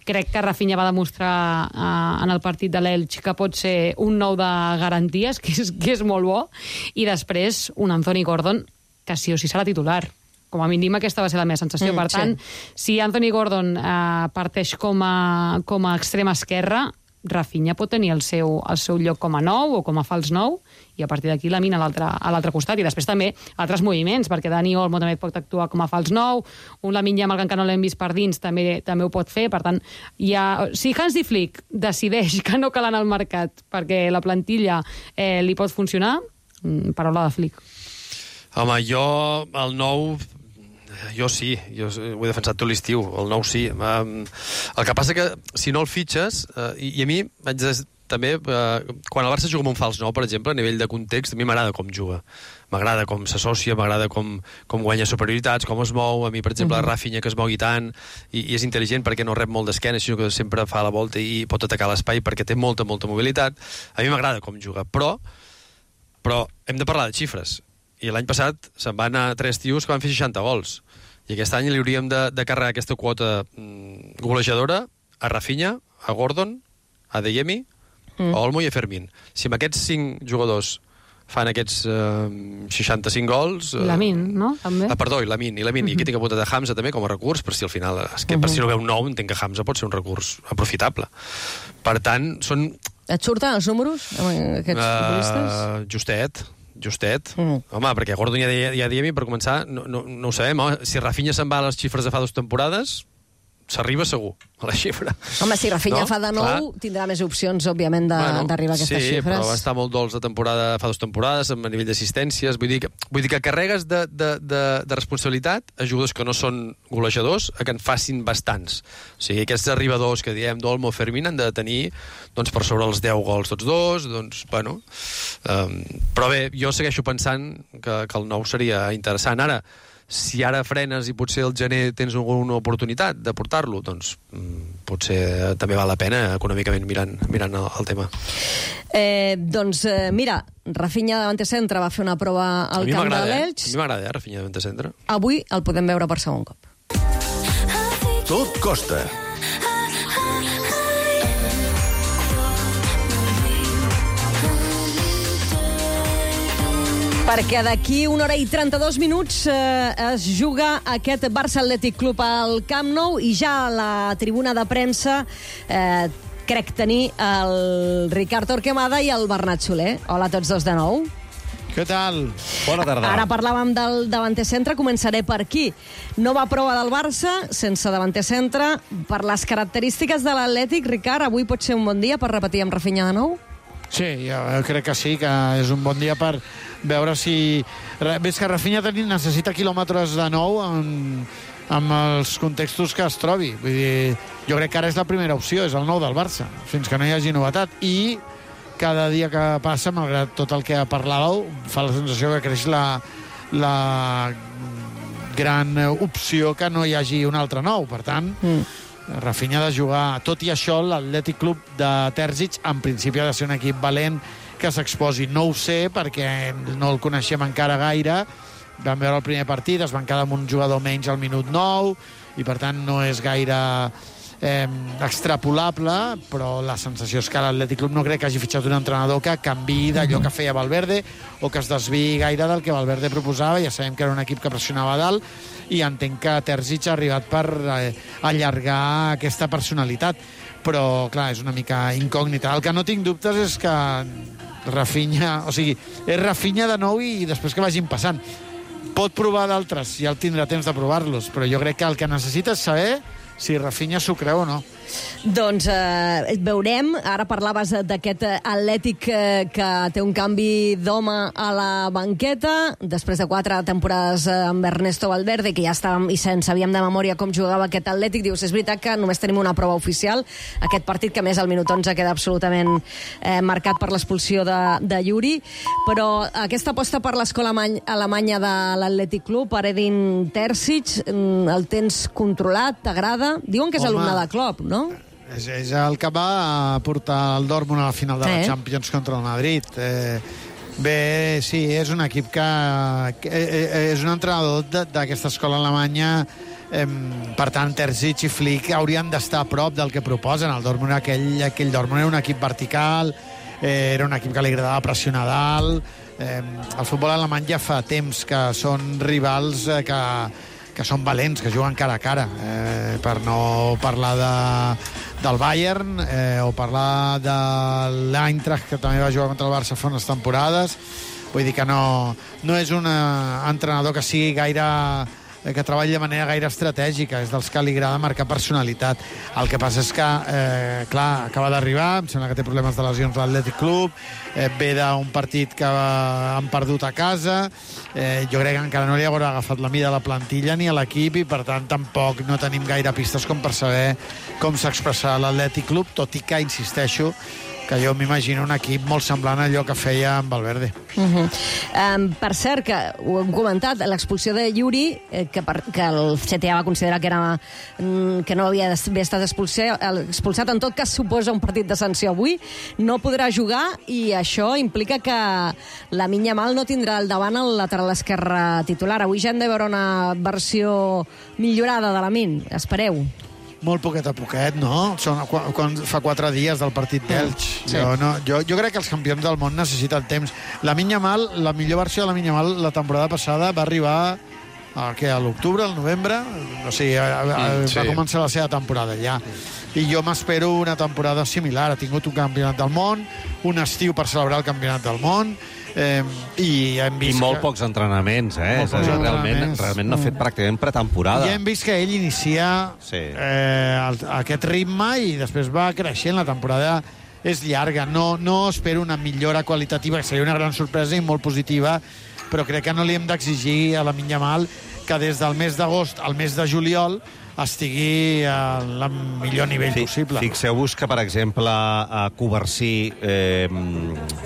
Crec que Rafinha va demostrar uh, en el partit de l'Elx que pot ser un nou de garanties, que és, que és molt bo. I després, un Anthony Gordon, que sí o sí serà titular. Com a mínim aquesta va ser la meva sensació. Mm, per tant, sí. Si Anthony Gordon eh, parteix com a, com a extrema esquerra, Rafinha pot tenir el seu, el seu lloc com a nou o com a fals nou, i a partir d'aquí la mina a l'altre costat. I després també altres moviments, perquè Dani Olmo també pot actuar com a fals nou, un Lamine Yamal que no l'hem vist per dins també també ho pot fer. Per tant, hi ha... si Hansi Flick decideix que no cal anar al mercat perquè la plantilla eh, li pot funcionar, paraula de Flick. Home, jo, el nou... Jo sí, jo ho he defensat tot l'estiu, el nou sí. Um, el que passa que si no el fitxes, uh, i, i a mi vaig des, també, uh, quan el Barça juga amb un fals nou, per exemple, a nivell de context, a mi m'agrada com juga. M'agrada com s'associa, m'agrada com, com guanya superioritats, com es mou. A mi, per exemple, uh-huh. Rafinha, que es mogui tant, i, i és intel·ligent perquè no rep molt d'esquena, sinó que sempre fa la volta i pot atacar l'espai perquè té molta, molta mobilitat. A mi m'agrada com juga, però, però hem de parlar de xifres. I l'any passat se'n van anar tres tios que van fer seixanta gols. I aquest any li hauríem de, de carregar aquesta quota mm, golejadora a Rafinha, a Gordon, a Adeyemi, mm. a Olmo i a Fermín. Si amb aquests cinc jugadors fan aquests eh, seixanta-cinc gols... Eh, Lamine, no? També. Ah, perdó, i Lamine, i Lamine. Mm-hmm. I aquí tinc apuntat a Hamza també com a recurs, per si al final... És que mm-hmm. per si no veu un nou, entenc que Hamza pot ser un recurs aprofitable. Per tant, són... Et surten els números, aquests uh, futbolistes? Justet. Justet. Mm. Home, perquè Gordon ja, ja, ja diem, per començar, no, no, no ho sabem. Home, si Rafinha se'n va a les xifres de fa dues temporades, s'arriba segur a la xifra. Home, si Rafinha no? fa de nou, clar. Tindrà més opcions, òbviament, d'arribar bueno, a aquestes sí, xifres. Sí, però va estar molt dolç de temporada, fa dues temporades, a nivell d'assistències. Vull dir que, vull dir que carregues de, de, de, de responsabilitat a jugadors que no són golejadors a que en facin bastants. O sigui, aquests arribadors que diem d'Olmo, Fermín, han de tenir doncs, per sobre els deu gols tots dos, doncs, bueno... Um, però bé, jo segueixo pensant que, que el nou seria interessant. Ara, si ara frenes i potser al gener tens alguna oportunitat de portar-lo, doncs mm, potser també val la pena econòmicament mirant, mirant el, el tema. Eh, doncs eh, mira, Rafinha davanter centre va fer una prova al camp de l'Elx. A mi m'agrada, eh, Rafinha davanter centre. Avui el podem veure per segon cop. Tot costa. Perquè d'aquí una hora i trenta-dos minuts eh, es juga aquest Barça Atlètic Club al Camp Nou i ja a la tribuna de premsa eh, crec tenir el Ricard Torquemada i el Bernat Soler. Hola a tots dos de nou. Què tal? Bona tarda. Ara parlàvem del davanter centre, començaré per aquí. Nova prova del Barça, sense davanter centre. Per les característiques de l'Atlètic, Ricard, avui pot ser un bon dia per repetir amb Rafinha de nou? Sí, jo crec que sí, que és un bon dia per veure si... Ves que Rafinha necessita quilòmetres de nou en, en els contextos que es trobi. Vull dir, jo crec que ara és la primera opció, és el nou del Barça, fins que no hi hagi novetat. I cada dia que passa, malgrat tot el que parlàveu, fa la sensació que creix la, la gran opció que no hi hagi un altre nou. Per tant, mm. Rafinha ha de jugar. Tot i això, l'Atlètic Club de Terzic en principi ha de ser un equip valent que s'exposi. No ho sé, perquè no el coneixem encara gaire. Vam veure el primer partit, es van quedar amb un jugador menys al minut nou, i per tant no és gaire eh, extrapolable, però la sensació és que l'Atlètic Club no crec que hagi fitxat un entrenador que canviï d'allò que feia Valverde o que es desviï gaire del que Valverde proposava. Ja sabem que era un equip que pressionava a dalt, i entenc que Terzic ha arribat per eh, allargar aquesta personalitat, però clar, és una mica incògnita. El que no tinc dubtes és que Rafinha, o sigui, és Rafinha de nou i després que vagin passant. Pot provar d'altres, ja el tindrà temps de provar-los, però jo crec que el que necessita és saber si Rafinha s'ho creu o no. Doncs eh, veurem. Ara parlaves d'aquest Atlètic eh, que té un canvi d'home a la banqueta, després de quatre temporades eh, amb Ernesto Valverde, que ja estàvem i se'n sabíem de memòria com jugava aquest Atlètic. Dius, és veritat que només tenim una prova oficial, aquest partit que més al minut onze queda absolutament eh, marcat per l'expulsió de, de Yuri, però aquesta aposta per l'escola alemanya de l'Atlètic Club, per Edin Terzic, el tens controlat, t'agrada? Diuen que és Home, alumne de Klopp, no? És, és el que va portar el Dortmund a la final de la Eh. Champions contra el Madrid. Eh, bé, sí, és un equip que, que eh, és un entrenador de- d'aquesta escola alemanya. Eh, per tant, Terzic i Flick haurien d'estar a prop del que proposen. El Dortmund, aquell, aquell Dortmund era un equip vertical, eh, era un equip que li agradava pressionar dalt. Eh, el futbol alemany ja fa temps que són rivals eh, que que són valents, que juguen cara a cara, eh, per no parlar de, del Bayern eh, o parlar de l'Eintracht, que també va jugar contra el Barça fa unes temporades. Vull dir que no, no és un entrenador que sigui gaire que treballi de manera gaire estratègica, és dels que li agrada marcar personalitat. El que passa és que, eh, clar, acaba d'arribar, em sembla que té problemes de lesions a l'Atlètic Club, eh, ve d'un partit que han perdut a casa, eh, jo crec que encara no li haurà agafat la mida a la plantilla ni a l'equip, i per tant tampoc no tenim gaire pistes com per saber com s'expressarà l'Atlètic Club, tot i que, insisteixo, que jo m'imagino un equip molt semblant a allò que feia amb Valverde. Uh -huh. um, per cert, que ho hem comentat, l'expulsió de Yuri, eh, que, per, que el C T A va considerar que, era, mm, que no havia d'haver estat expulsat, expulsat, en tot cas suposa un partit de sanció avui, no podrà jugar, i això implica que Lamine Yamal no tindrà al davant el lateral esquerre titular. Avui ja hem de veure una versió millorada de Lamine, espereu. Molt poquet a poquet, no? Són, quan, quan fa quatre dies del partit d'Elx. Sí. Jo, no, jo, jo crec que els campions del món necessiten temps. Lamine Yamal, la millor versió de Lamine Yamal la temporada passada va arribar a, què, a l'octubre, al novembre, o sigui, a, a, Mm, sí. va començar la seva temporada ja. I jo m'espero una temporada similar. Ha tingut un campionat del món, un estiu per celebrar el campionat del món, eh, i hem I vist molt que... pocs entrenaments, eh? Molt És a pocs dir, realment, entrenaments. realment no ha fet pràcticament pretemporada. Ja hem vist que ell inicia Sí. eh, el, aquest ritme i després va creixent. La temporada és llarga. No, no espero una millora qualitativa, que seria una gran sorpresa i molt positiva, però crec que no li hem d'exigir a Lamine Yamal que des del mes d'agost al mes de juliol estigui al millor nivell Fi- possible. Fixeu-vos que, per exemple, a Covarsí, eh,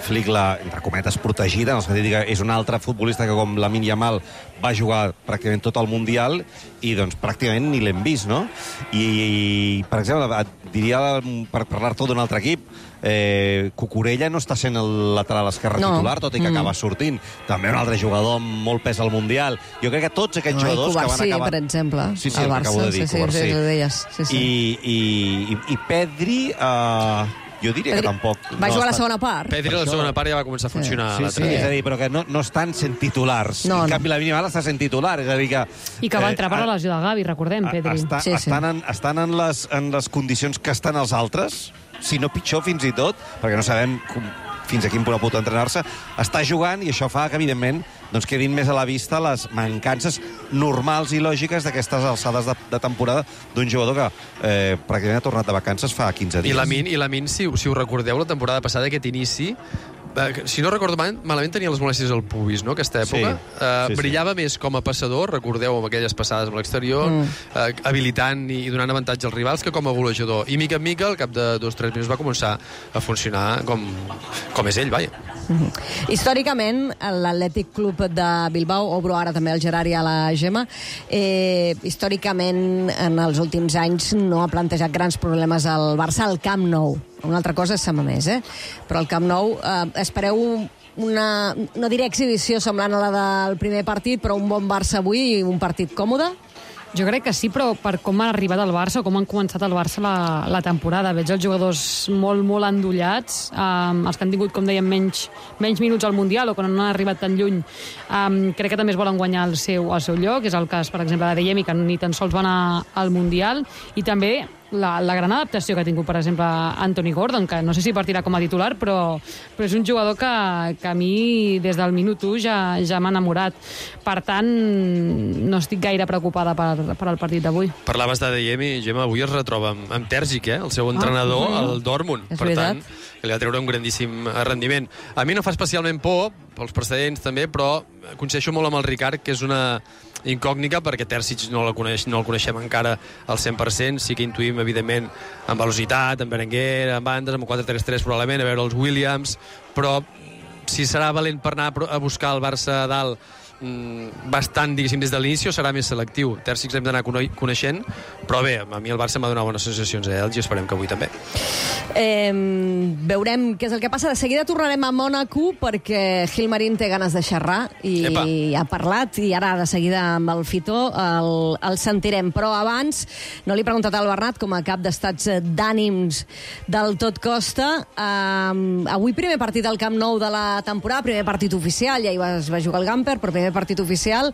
Flick l'ha, entre cometes, protegida, en el sentit que és un altre futbolista que, com Lamine Yamal, va jugar pràcticament tot el Mundial i, doncs, pràcticament ni l'hem vist, no? I, i per exemple, et diria, per parlar-te d'un altre equip, eh, Cucurella no està sent el lateral esquerre No. titular, tot i que Mm. acaba sortint. També un altre jugador amb molt pes al Mundial. Jo crec que tots aquests No, i jugadors que van Covarsí, acabar... per exemple, Sí, sí, al el que Barça. acabo de dir, sí, sí, Covarsí. sí, ho deies. Sí, sí. I, i, i, i Pedri, uh, jo diria Pedri que tampoc... Va no jugar a la està- segona part. Pedri, la segona part, ja va començar a funcionar. Sí, l'altre sí, dia. és a dir, però que no, no estan sent titulars. No, en no. canvi, la Lamine Yamal està sent titular. És a dir, que... I que va entrar per eh, la lesió de Gavi, recordem, Pedri. Està, Sí, sí. estan en, estan en, les, en les condicions que estan els altres, si no pitjor fins i tot, perquè no sabem com, fins a quin punt pot entrenar-se, està jugant i això fa que, evidentment, doncs quedin més a la vista les mancances normals i lògiques d'aquestes alçades de, de temporada d'un jugador que eh, pràcticament ha tornat de vacances fa quinze dies. I Lamine, i Lamine si, si us recordeu, la temporada passada, aquest inici, eh, si no recordo mal, malament tenia les molèsties al pubis, no?, aquesta època. Sí, eh, sí, sí. Brillava més com a passador, recordeu, amb aquelles passades amb l'exterior, mm. eh, habilitant i donant avantatge als rivals, que com a golejador. I mica en mica, al cap de dos o tres minuts, va començar a funcionar com, com és ell, vaja. Mm-hmm. Històricament, l'Atlètic Club de Bilbao, obro ara també el Gerard i a la Gemma, eh, històricament, en els últims anys, no ha plantejat grans problemes al Barça al Camp Nou. Una altra cosa és Sama Més, eh? Però al Camp Nou eh, espereu una, no diré exhibició semblant a la del primer partit, però un bon Barça avui i un partit còmode? Jo crec que sí, però per com han arribat al Barça, com han començat el Barça la, la temporada. Veig els jugadors molt, molt endollats, um, els que han tingut, com dèiem, menys, menys minuts al Mundial o que no han arribat tan lluny. Um, crec que també es volen guanyar el seu, el seu lloc, és el cas, per exemple, de Adeyemi, que ni tan sols va anar al Mundial, i també la, la gran adaptació que ha tingut, per exemple, Anthony Gordon, que no sé si partirà com a titular, però, però és un jugador que, que a mi, des del minut u, ja, ja m'ha enamorat. Per tant, no estic gaire preocupada per, per al partit d'avui. Parlaves d'Adeyemi, Gemma, avui es retroba amb, amb Terzic, eh? El seu entrenador, ah, el Dortmund. És per veritat. tant, que li va treure un grandíssim rendiment. A mi no fa especialment por, pels precedents també, però coincideixo molt amb el Ricard, que és una incògnita, perquè Terzic no, la coneix, no el coneixem encara al cent per cent. Sí que intuïm, evidentment, amb velocitat, amb Berenguer, amb bandes, amb quatre tres tres probablement, a veure els Williams, però si serà valent per anar a buscar el Barça a dalt bastant, diguéssim, des de l'inici, o serà més selectiu. Terzic l'hem d'anar coneixent, però bé, a mi el Barça m'ha donat bones sensacions a Elx i esperem que avui també. Eh, veurem què és el que passa. De seguida tornarem a Mònaco perquè Gil Marín té ganes de xerrar i Epa. ha parlat, i ara de seguida amb el Fitó el, el sentirem. Però abans, no li he preguntat al Bernat, com a cap d'estats d'ànims del Tot Costa, eh, avui primer partit al Camp Nou de la temporada, primer partit oficial, ja hi va, es va jugar el Gamper, però primer partit oficial.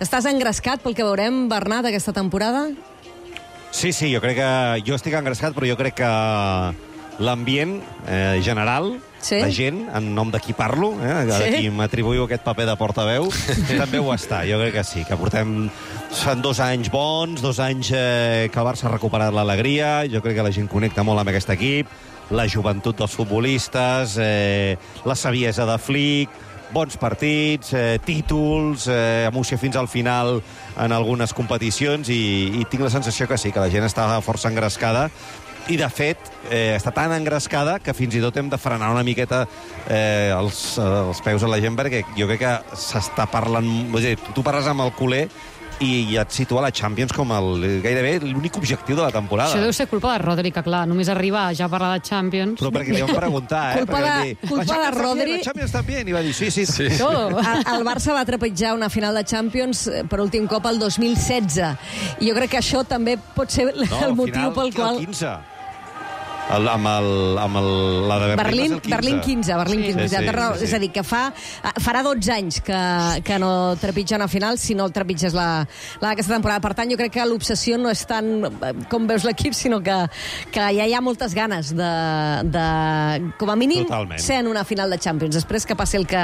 Estàs engrescat pel que veurem, Bernat, aquesta temporada? Sí, sí, jo crec que... Jo estic engrescat, però jo crec que l'ambient eh, general, sí? la gent, en nom de qui parlo, eh, de sí? qui m'atribuïu aquest paper de portaveu, també ho està. Jo crec que sí, que portem... Són dos anys bons, dos anys eh, que el Barça ha recuperat l'alegria, jo crec que la gent connecta molt amb aquest equip, la joventut dels futbolistes, eh, la saviesa de Flick, bons partits, eh, títols, eh, emoció fins al final en algunes competicions, i, i tinc la sensació que sí, que la gent està força engrescada, i de fet eh, està tan engrescada que fins i tot hem de frenar una miqueta eh, els, els peus a la gent, perquè jo crec que s'està parlant... Vull dir, tu parles amb el culer i et situa la Champions com el, gairebé l'únic objectiu de la temporada. Això deu ser culpa de Rodri, que clar, només arriba a ja parlar de Champions. Però perquè li vam preguntar, eh? Culpa de, dir, culpa de Rodri... La Champions també, i va dir sí, sí, sí. Sí. El, el Barça va trepitjar una final de Champions per últim cop el dos mil setze. I jo crec que això també pot ser el No, motiu final, pel qual... El quinze. El, amb el, amb el, la de Berlín, Berlín, Berlín quinze, Berlín Sí, quinze. sí, sí, sí. És a dir, que fa, farà dotze anys que, que no trepitja una final, si no el trepitges la, la d'aquesta temporada. Per tant, jo crec que l'obsessió no és tant com veus l'equip, sinó que, que ja hi ha moltes ganes de, de com a mínim, Totalment. ser en una final de Champions. Després que passi el que,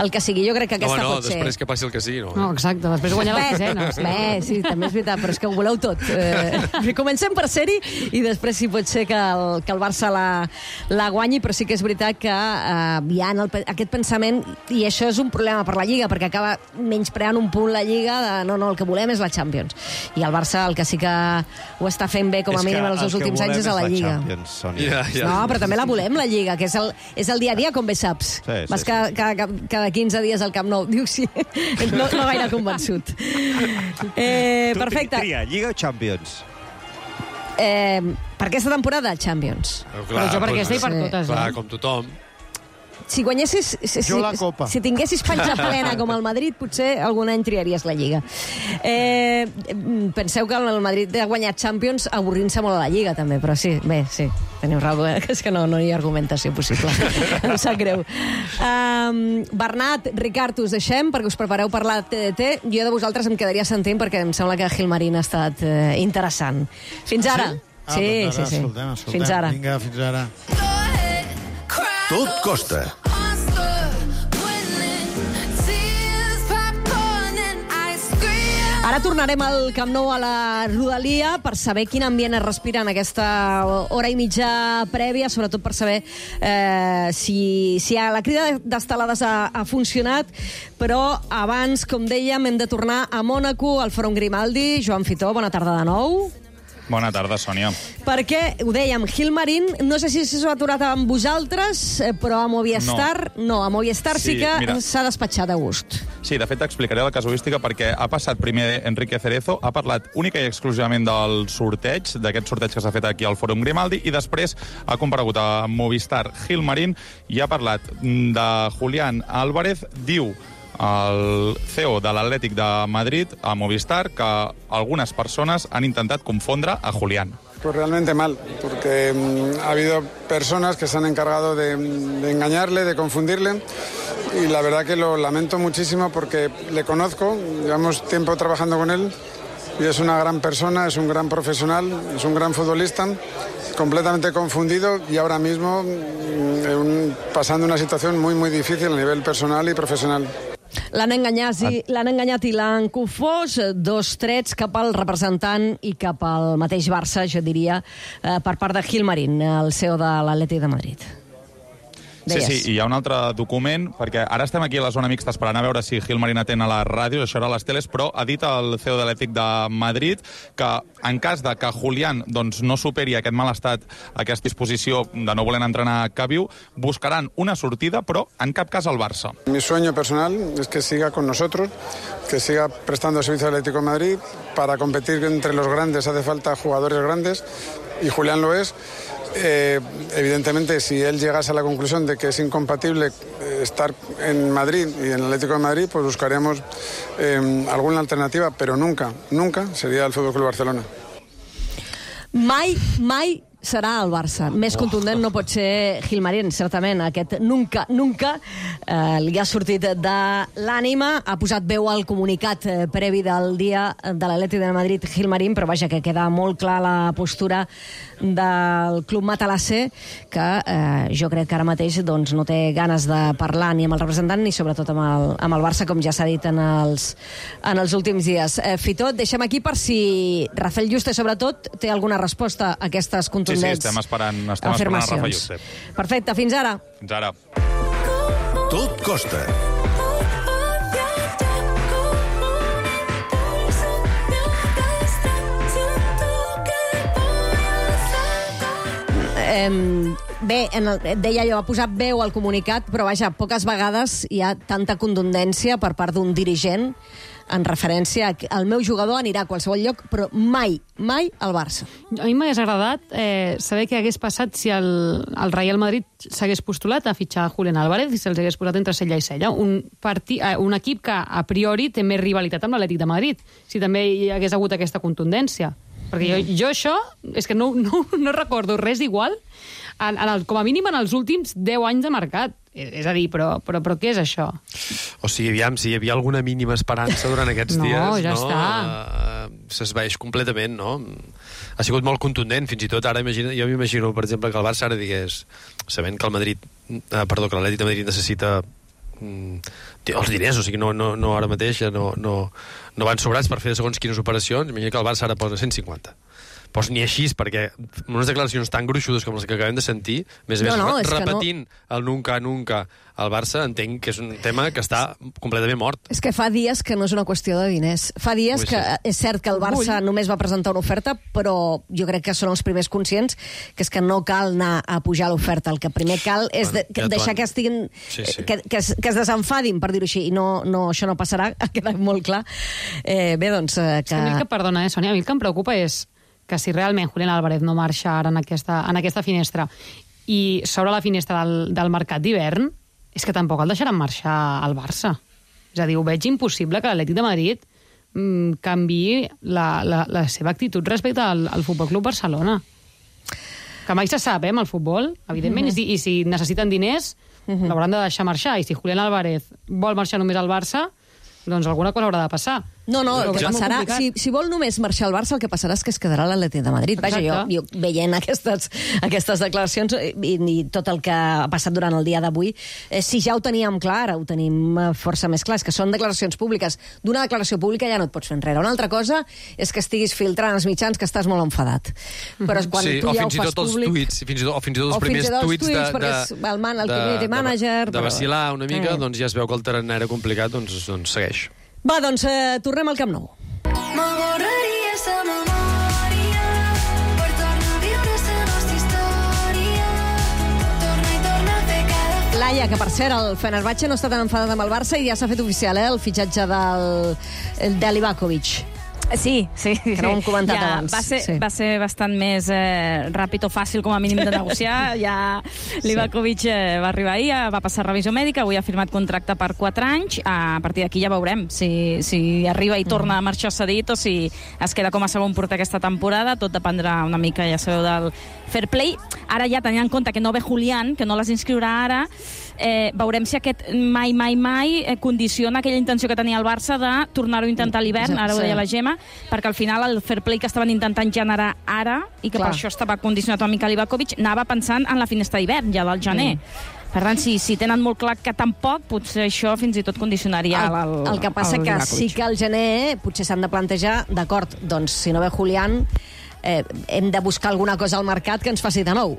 el que sigui. Jo crec que aquesta no, no, pot ser... després que passi el que sigui, no. No, exacte, després guanyar la sisena. Bé, bé, sí, també és veritat, però és que ho voleu tot. Eh, comencem per ser-hi i després sí pot ser que el, que el Barça la, la guanyi, però sí que és veritat que eh, hi ha el, aquest pensament, i això és un problema per la Lliga, perquè acaba menyspreant un punt la Lliga de no, no, el que volem és la Champions. I el Barça el que sí que ho està fent bé, com a mínim en els dos últims anys, és a la Lliga. Champions, Ja, ja. No, però també la volem, la Lliga, que és el, és el dia a dia, com bé saps. Sí, sí, Vas sí. cada, cada, cada quinze dies al Camp Nou. Diu sí, no, no gaire convençut. Eh, Tu perfecte. tria, Lliga o Champions? Eh, per aquesta temporada, Champions. Però jo per aquesta i per Sí. totes. Clar, Eh? com tothom. Si guanyessis... Si, Jo la Copa. Si tinguessis panxa plena com el Madrid, potser algun any triaries la Lliga. Eh, penseu que el Madrid ha guanyat Champions avorrint-se molt a la Lliga, també, però sí, bé, sí, teniu raó, eh? És que no, no hi ha argumentació possible. Em sap greu. Um, Bernat, Ricard, us deixem perquè us prepareu per la T D T. Jo de vosaltres em quedaria sentint perquè em sembla que Gil Marín ha estat eh, interessant. Fins ara. Ah, Sí, doncs sí, ara, sí. escoltem, escoltem. Fins ara. Vinga, fins ara. Tot costa. Ara tornarem al Camp Nou a la Rodalia per saber quin ambient es respira en aquesta hora i mitja prèvia, sobretot per saber eh, si, si la crida d'estelades ha, ha funcionat, però abans, com dèiem, hem de tornar a Mònaco, al Fòrum Grimaldi. Joan Fitó, bona tarda de nou. Bona tarda, Sònia. Perquè, ho dèiem, Gilmarín, no sé si s'ha aturat amb vosaltres, però a Movistar, no, no a Movistar sí, sí que s'ha despatxat a gust. Sí, de fet, t'explicaré la casuística perquè ha passat primer Enrique Cerezo, ha parlat única i exclusivament del sorteig, d'aquest sorteig que s'ha fet aquí al Fòrum Grimaldi, i després ha comparegut a Movistar Gilmarín i ha parlat de Julián Álvarez. Diu el C E O de l'Atlètic de Madrid a Movistar que algunas personas han intentat confondre a Julián. Pues realmente mal, porque um, ha habido personas que se han encargado de, de engañarle, de confundirle, y la verdad que lo lamento muchísimo porque le conozco, llevamos tiempo trabajando con él, y es una gran persona, es un gran profesional, es un gran futbolista, completamente confundido y ahora mismo um, pasando una situación muy, muy difícil a nivel personal y profesional. L'han enganyat, i, l'han enganyat i l'han confós, dos trets cap al representant i cap al mateix Barça, jo diria, eh, per part de Gilmarín, el C E O de l'Atlètic de Madrid. Sí, sí, i hi ha un altre document, perquè ara estem aquí a la zona mixta esperant a veure si Gilmarín atén a la ràdio, això era a les teles, però ha dit el C E O de l'Atlètic de Madrid que en cas de que Julián doncs, no superi aquest mal estat, aquesta disposició de no voler entrenar a Caviu, buscaran una sortida, però en cap cas al Barça. Mi sueño personal es que siga con nosotros, que siga prestando servicio al Atlético de Madrid. Para competir entre los grandes hace falta jugadores grandes, y Julián lo es. Eh, evidentemente, si él llegase a la conclusión de que es incompatible eh, estar en Madrid y en el Atlético de Madrid, pues buscaremos eh, alguna alternativa, pero nunca, nunca sería el Fútbol Club Barcelona. Mai, mai serà el Barça. Més contundent no pot ser Gilmarín, certament. Aquest nunca, nunca eh, li ha sortit de l'ànima, ha posat veu al comunicat eh, previ del dia de l'Atlètic de Madrid Gilmarín, però vaja, que queda molt clar la postura del club matalasser, que eh, jo crec que ara mateix doncs, no té ganes de parlar ni amb el representant ni sobretot amb el, amb el Barça, com ja s'ha dit en els, en els últims dies. Eh, Fitó, deixem aquí per si Rafael Juste, sobretot, té alguna resposta a aquestes contundents Sí, sí, estem esperant, estem esperant a Rafa Juste. Perfecte, fins ara. Fins ara. Tot costa. Eh, bé, en el, deia jo, ha posat veu al comunicat, però vaja, poques vegades hi ha tanta contundència per part d'un dirigent en referència al meu jugador anirà a qualsevol lloc, però mai, mai al Barça. A mi m'hagués agradat eh, saber què hagués passat si el, el Real Madrid s'hagués postulat a fitxar Julián Álvarez i se'ls hagués posat entre cella i cella. Un, parti, eh, un equip que a priori té més rivalitat amb l'Atlètic de Madrid, si també hi hagués hagut aquesta contundència. Perquè jo, jo això, és que no, no, no recordo res igual, en, en el, com a mínim en els últims deu anys de mercat. És a dir, però, però, però què és això? O sigui, aviam, si hi havia alguna mínima esperança durant aquests no, dies, ja no, està. Uh, s'esvaeix completament, no? Ha sigut molt contundent, fins i tot ara imagina, jo m'imagino, per exemple, que el Barça ara digués, sabent que el Madrid, uh, perdó, que l'Atlètic de Madrid necessita um, els diners, o sigui, no, no, no ara mateix ja no, no, no van sobrats per fer segons quines operacions, imagina que el Barça ara posa cent cinquanta. Doncs ni així, perquè unes declaracions tan gruixudes com les que acabem de sentir, més a més, no, no, repetint no. el nunca, nunca al Barça, entenc que és un tema que està completament mort. És que fa dies que no és una qüestió de diners. Fa dies Ui, que sí. és cert que el Barça Ui. només va presentar una oferta, però jo crec que són els primers conscients que és que no cal anar a pujar l'oferta. El que primer cal és de, que, ja deixar que estiguin... Sí, sí. Que, que, es, que es desenfadin, per dir-ho així, i no, no, això no passarà, ha quedat molt clar. Eh, bé, doncs... Eh, que... Sí, a mi el que, perdona, eh, Sònia, a mi el que em preocupa és que si realment Julián Álvarez no marxa ara en aquesta, en aquesta finestra i s'obre la finestra del, del mercat d'hivern, és que tampoc el deixaran marxar al Barça. És a dir, ho veig impossible que l'Atlètic de Madrid mmm, canviï la, la, la seva actitud respecte al, al Futbol Club Barcelona. Que mai se sap, eh, amb el futbol, evidentment, uh-huh. i, i si necessiten diners, uh-huh. l'hauran de deixar marxar, i si Julián Álvarez vol marxar només al Barça, doncs alguna cosa haurà de passar. No, no, el que És molt passarà, complicat. si, si vol només marxar al Barça, el que passarà és que es quedarà a l'Atlètic de Madrid. Vaja, jo, Exacte. jo veient aquestes, aquestes declaracions i, i tot el que ha passat durant el dia d'avui, eh, si ja ho teníem clar, ara ho tenim eh, força més clar, és que són declaracions públiques. D'una declaració pública ja no et pots fer enrere. Una altra cosa és que estiguis filtrant als mitjans que estàs molt enfadat. Però quan Sí, tu o ja ho fins i fas tot els públic... tuits, fins i tot, o fins i tot els O fins i primers tot els tuits de, tuits, perquè de, és el man- el de- community de- manager, de però- vacilar una mica, Eh. doncs ja es veu que el terreny era complicat, doncs, doncs segueix. Va, doncs eh, tornem al Camp Nou. Me borraria sa memòria per tornar a viure sa nostra història. Torna i torna a fer cada... Laia, que per cert, el Fenerbahçe no està tan enfadat amb el Barça i ja s'ha fet oficial, eh, el fitxatge del, de Livakovic. Sí, sí. Que no ho hem comentat ja, abans. Va ser, Sí. va ser bastant més eh, ràpid o fàcil, com a mínim, de negociar. Ja Livakovic eh, va arribar ahir, eh, va passar revisió mèdica, avui ha firmat contracte per quatre anys. A partir d'aquí ja veurem si, si arriba i torna a marxar cedit o si es queda com a segon porter aquesta temporada. Tot dependrà una mica, ja sabeu, del fair play. Ara ja, tenint en compte que no ve Julián, que no les inscriurà ara, eh, veurem si aquest mai, mai, mai eh, condiciona aquella intenció que tenia el Barça de tornar-ho a intentar a l'hivern, ara ho deia la Gemma, perquè al final el fair play que estaven intentant generar ara, i que Clar. per això estava condicionat una mica Livakovic, anava pensant en la finestra d'hivern, ja del gener. Mm. Per tant, si, si tenen molt clar que tampoc, potser això fins i tot condicionaria El, el, el que passa el que Livakovic. sí que al gener potser s'han de plantejar, d'acord, doncs si no ve Julián, eh, hem de buscar alguna cosa al mercat que ens faci de nou.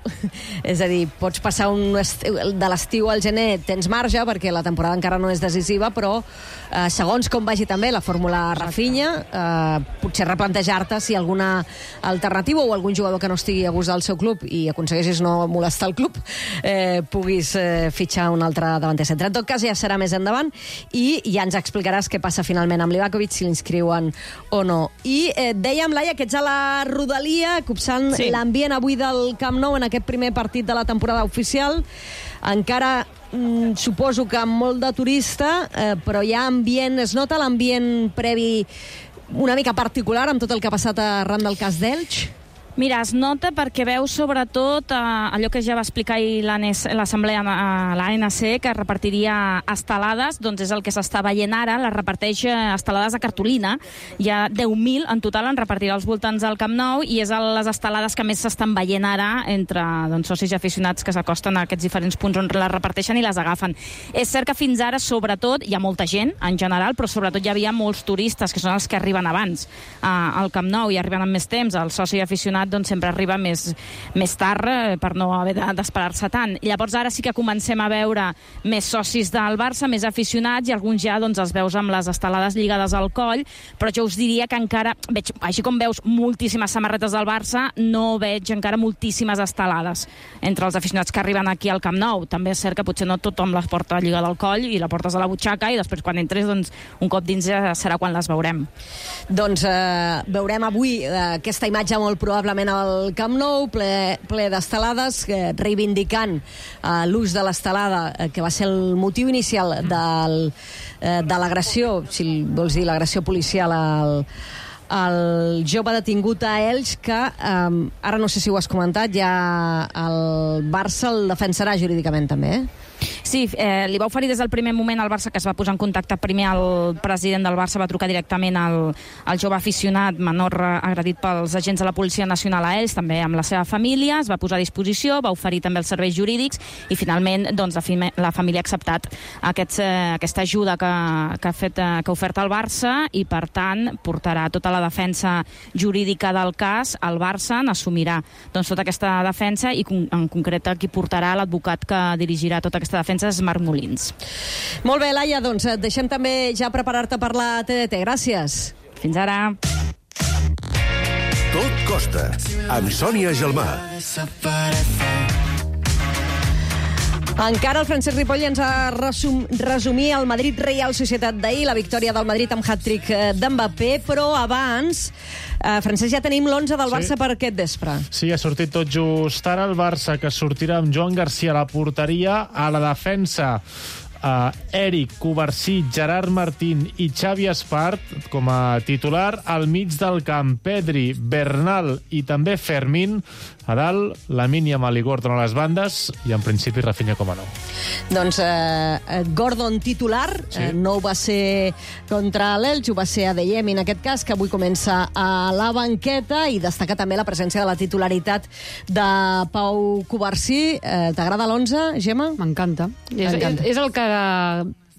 És a dir, pots passar un estiu, de l'estiu al gener, tens marge, perquè la temporada encara no és decisiva, però eh, segons com vagi també la fórmula Rafinha, eh, potser replantejar-te si alguna alternativa o algun jugador que no estigui a gust del seu club i aconsegueixis no molestar el club, eh, puguis eh, fitxar un altre davanter centre. En tot cas, ja serà més endavant i ja ens explicaràs què passa finalment amb Livakovic, si l'inscriuen o no. I eh, dèiem, Laia, que ets a la rodalia, copsant Sí. l'ambient avui del Camp Nou en aquest primer partit de la temporada oficial. Encara mm, suposo que amb molt de turista, eh, però hi ha ambient, es nota l'ambient previ una mica particular amb tot el que ha passat arran del cas d'Elx? Mira, es nota perquè veus sobretot eh, allò que ja va explicar ahir l'Assemblea a l'A N C, que repartiria estelades, doncs és el que s'està veient ara, les reparteix eh, estelades a cartolina. Hi ha deu mil en total, en repartirà als voltants del Camp Nou, i és les estelades que més s'estan veient ara entre doncs, socis i aficionats que s'acosten a aquests diferents punts on les reparteixen i les agafen. És cert que fins ara, sobretot, hi ha molta gent, en general, però sobretot hi havia molts turistes, que són els que arriben abans eh, al Camp Nou i arriben amb més temps. El soci aficionat doncs sempre arriba més, més tard eh, per no haver d'esperar-se tant. I llavors ara sí que comencem a veure més socis del Barça, més aficionats, i alguns ja doncs, els veus amb les estelades lligades al coll, però jo us diria que encara, veig, així com veus moltíssimes samarretes del Barça, no veig encara moltíssimes estelades entre els aficionats que arriben aquí al Camp Nou. També és cert que potser no tothom les porta lligada al coll i la portes a la butxaca i després quan entres doncs, un cop dins ja serà quan les veurem. Doncs eh, veurem avui eh, aquesta imatge molt probablement al Camp Nou, ple, ple d'estelades, eh, reivindicant eh, l'ús de l'estelada, eh, que va ser el motiu inicial del, eh, de l'agressió, si vols dir l'agressió policial al, al jove detingut a Elx, que eh, ara no sé si ho has comentat, ja el Barça el defensarà jurídicament també, eh? Sí, eh, li va oferir des del primer moment al Barça, que es va posar en contacte primer el president del Barça, va trucar directament al, al jove aficionat menor agredit pels agents de la Policia Nacional a ells, també amb la seva família, es va posar a disposició, va oferir també els serveis jurídics i finalment doncs, la, fime, la família ha acceptat aquests, eh, aquesta ajuda que, que, ha fet, eh, que ha ofert el Barça i per tant portarà tota la defensa jurídica del cas al Barça, n'assumirà doncs, tota aquesta defensa i en concret qui portarà l'advocat que dirigirà tota aquesta defensa és Marc Molins. Molt bé, Laia, doncs et deixem també ja preparar-te per la T D T. Gràcies. Fins ara. Tot costa, amb Sònia Gelmà. Encara el Francesc Ripoll ens ha resum, resumir el Madrid Reial Societat d'ahir, la victòria del Madrid amb hat-trick d'Mbappé, però abans, eh, Francesc, ja tenim l'onze del Barça Sí. per aquest vespre. Sí, ha sortit tot just ara el Barça, que sortirà amb Joan Garcia a la porteria, a la defensa uh, Eric, Covarsí, Gerard Martín i Xavi Espart com a titular. Al mig del camp, Pedri, Bernal i també Fermín. A dalt, Lamine Yamal i Gordon a les bandes i, en principi, Rafinha com a nou. Doncs eh, Gordon titular, sí. eh, no ho va ser contra l'Elx, ho va ser a Adeyemi en aquest cas, que avui comença a la banqueta, i destaca també la presència de la titularitat de Pau Covarsí. Eh, T'agrada l'onze, Gemma? M'encanta. És, és, és el que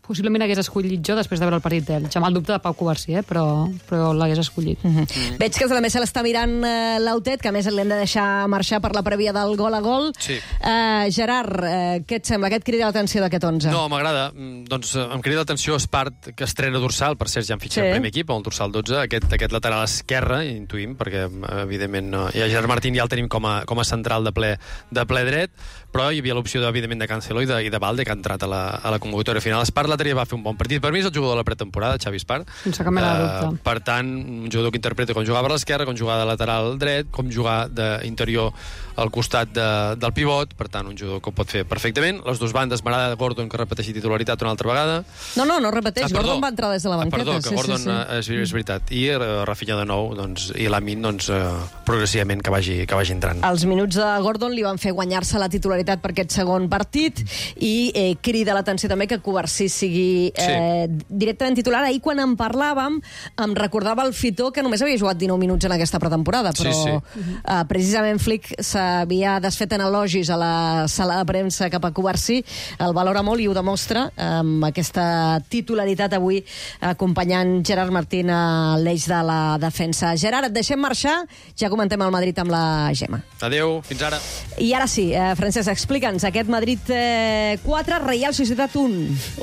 possiblement hagués escollit jo després de veure el partit d'Elx. Amb el dubte de Pau Covarsí, eh? però, però l'hagués escollit. Mm -hmm. Mm. Veig que també se l'està mirant eh, l'Autet, que a més l'hem de deixar marxar per la prèvia del gol a gol. Sí. Eh, Gerard, eh, què et sembla? Què et crida l'atenció d'aquest onze? No, m'agrada. Doncs em crida l'atenció Espart, que estrena dorsal. Per cert, ja han fitxat sí. el primer equip, el dorsal dotze. Aquest, aquest lateral esquerre, intuïm, perquè evidentment no. I a Gerard Martín ja el tenim com a, com a central de ple, de ple dret, però hi havia l'opció, evidentment, de Cancelo i de, i de Valde, que ha entrat a la, a la convocatòria final. Espart l'altre dia va fer un bon partit. Per mi és el jugador de la pretemporada, Xavi Espart. Sense cap mena de dubte. Uh, per tant, un jugador que interpreta com jugar per l'esquerra, com jugar de lateral dret, com jugar d'interior al costat de, del pivot. Per tant, un jugador que ho pot fer perfectament. Les dues bandes, m'agrada Gordon, que repeteixi titularitat una altra vegada. No, no, no repeteix. Ah, Gordon va entrar des de la banqueta. Ah, perdó, que sí, Gordon sí, sí. És, és veritat. I uh, Rafinha de nou, doncs, i Lamine, doncs, uh, progressivament que vagi, que vagi entrant. Els minuts de Gordon li van fer guanyar-se la titularitat per aquest segon partit, i eh, crida l'atenció també que Covarsí sigui eh, sí. directament titular. Ahir, quan en parlàvem, em recordava el Fitó, que només havia jugat dinou minuts en aquesta pretemporada, però sí, sí. Eh, precisament Flick s'havia desfet en elogis a la sala de premsa cap a Covarsí. El valora molt i ho demostra amb aquesta titularitat avui, acompanyant Gerard Martín a l'eix de la defensa. Gerard, et deixem marxar, ja comentem el Madrid amb la Gemma. Adéu, fins ara. I ara sí, eh, Francesc, explica'ns aquest Madrid eh, quatre, Reial Societat un.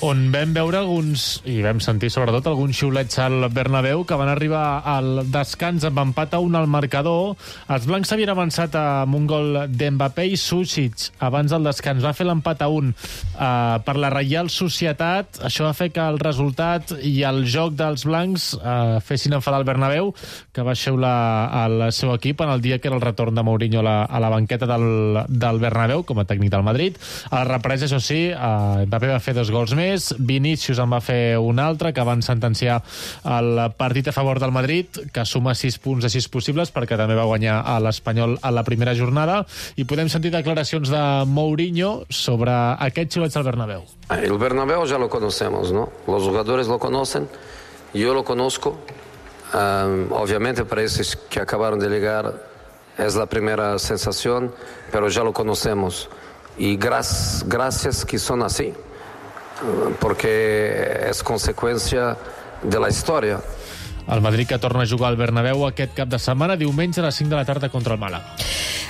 On vam veure alguns, i vam sentir sobretot alguns xiulets al Bernabéu, que van arribar al descans amb empat a un al marcador. Els blancs s'havien avançat amb un gol d'Mbappé, i Sušić abans del descans va fer l'empat a un eh, per la Reial Societat. Això va fer que el resultat i el joc dels blancs eh, fessin enfadar el Bernabéu, que va xiular al seu equip en el dia que era el retorn de Mourinho a la, a la banqueta del, del Bernabéu com a tècnic del Madrid. A la represa, això sí, eh, Mbappé va fer dos gols més, Vinícius en va fer un altre, que van sentenciar el partit a favor del Madrid, que suma sis punts de sis possibles, perquè també va guanyar a l'Espanyol a la primera jornada. I podem sentir declaracions de Mourinho sobre aquests xiulets al Bernabéu. El Bernabéu ya lo conocemos, ¿no? Los jugadores lo conocen, yo lo conozco. Um, obviamente para esos que acabaron de llegar es la primera sensación, pero ya lo conocemos. Y gracias, gracias que son así, porque es consecuencia de la historia. El Madrid, que torna a jugar al Bernabéu aquest cap de setmana, diumenge a les cinc de la tarda contra el Màlaga.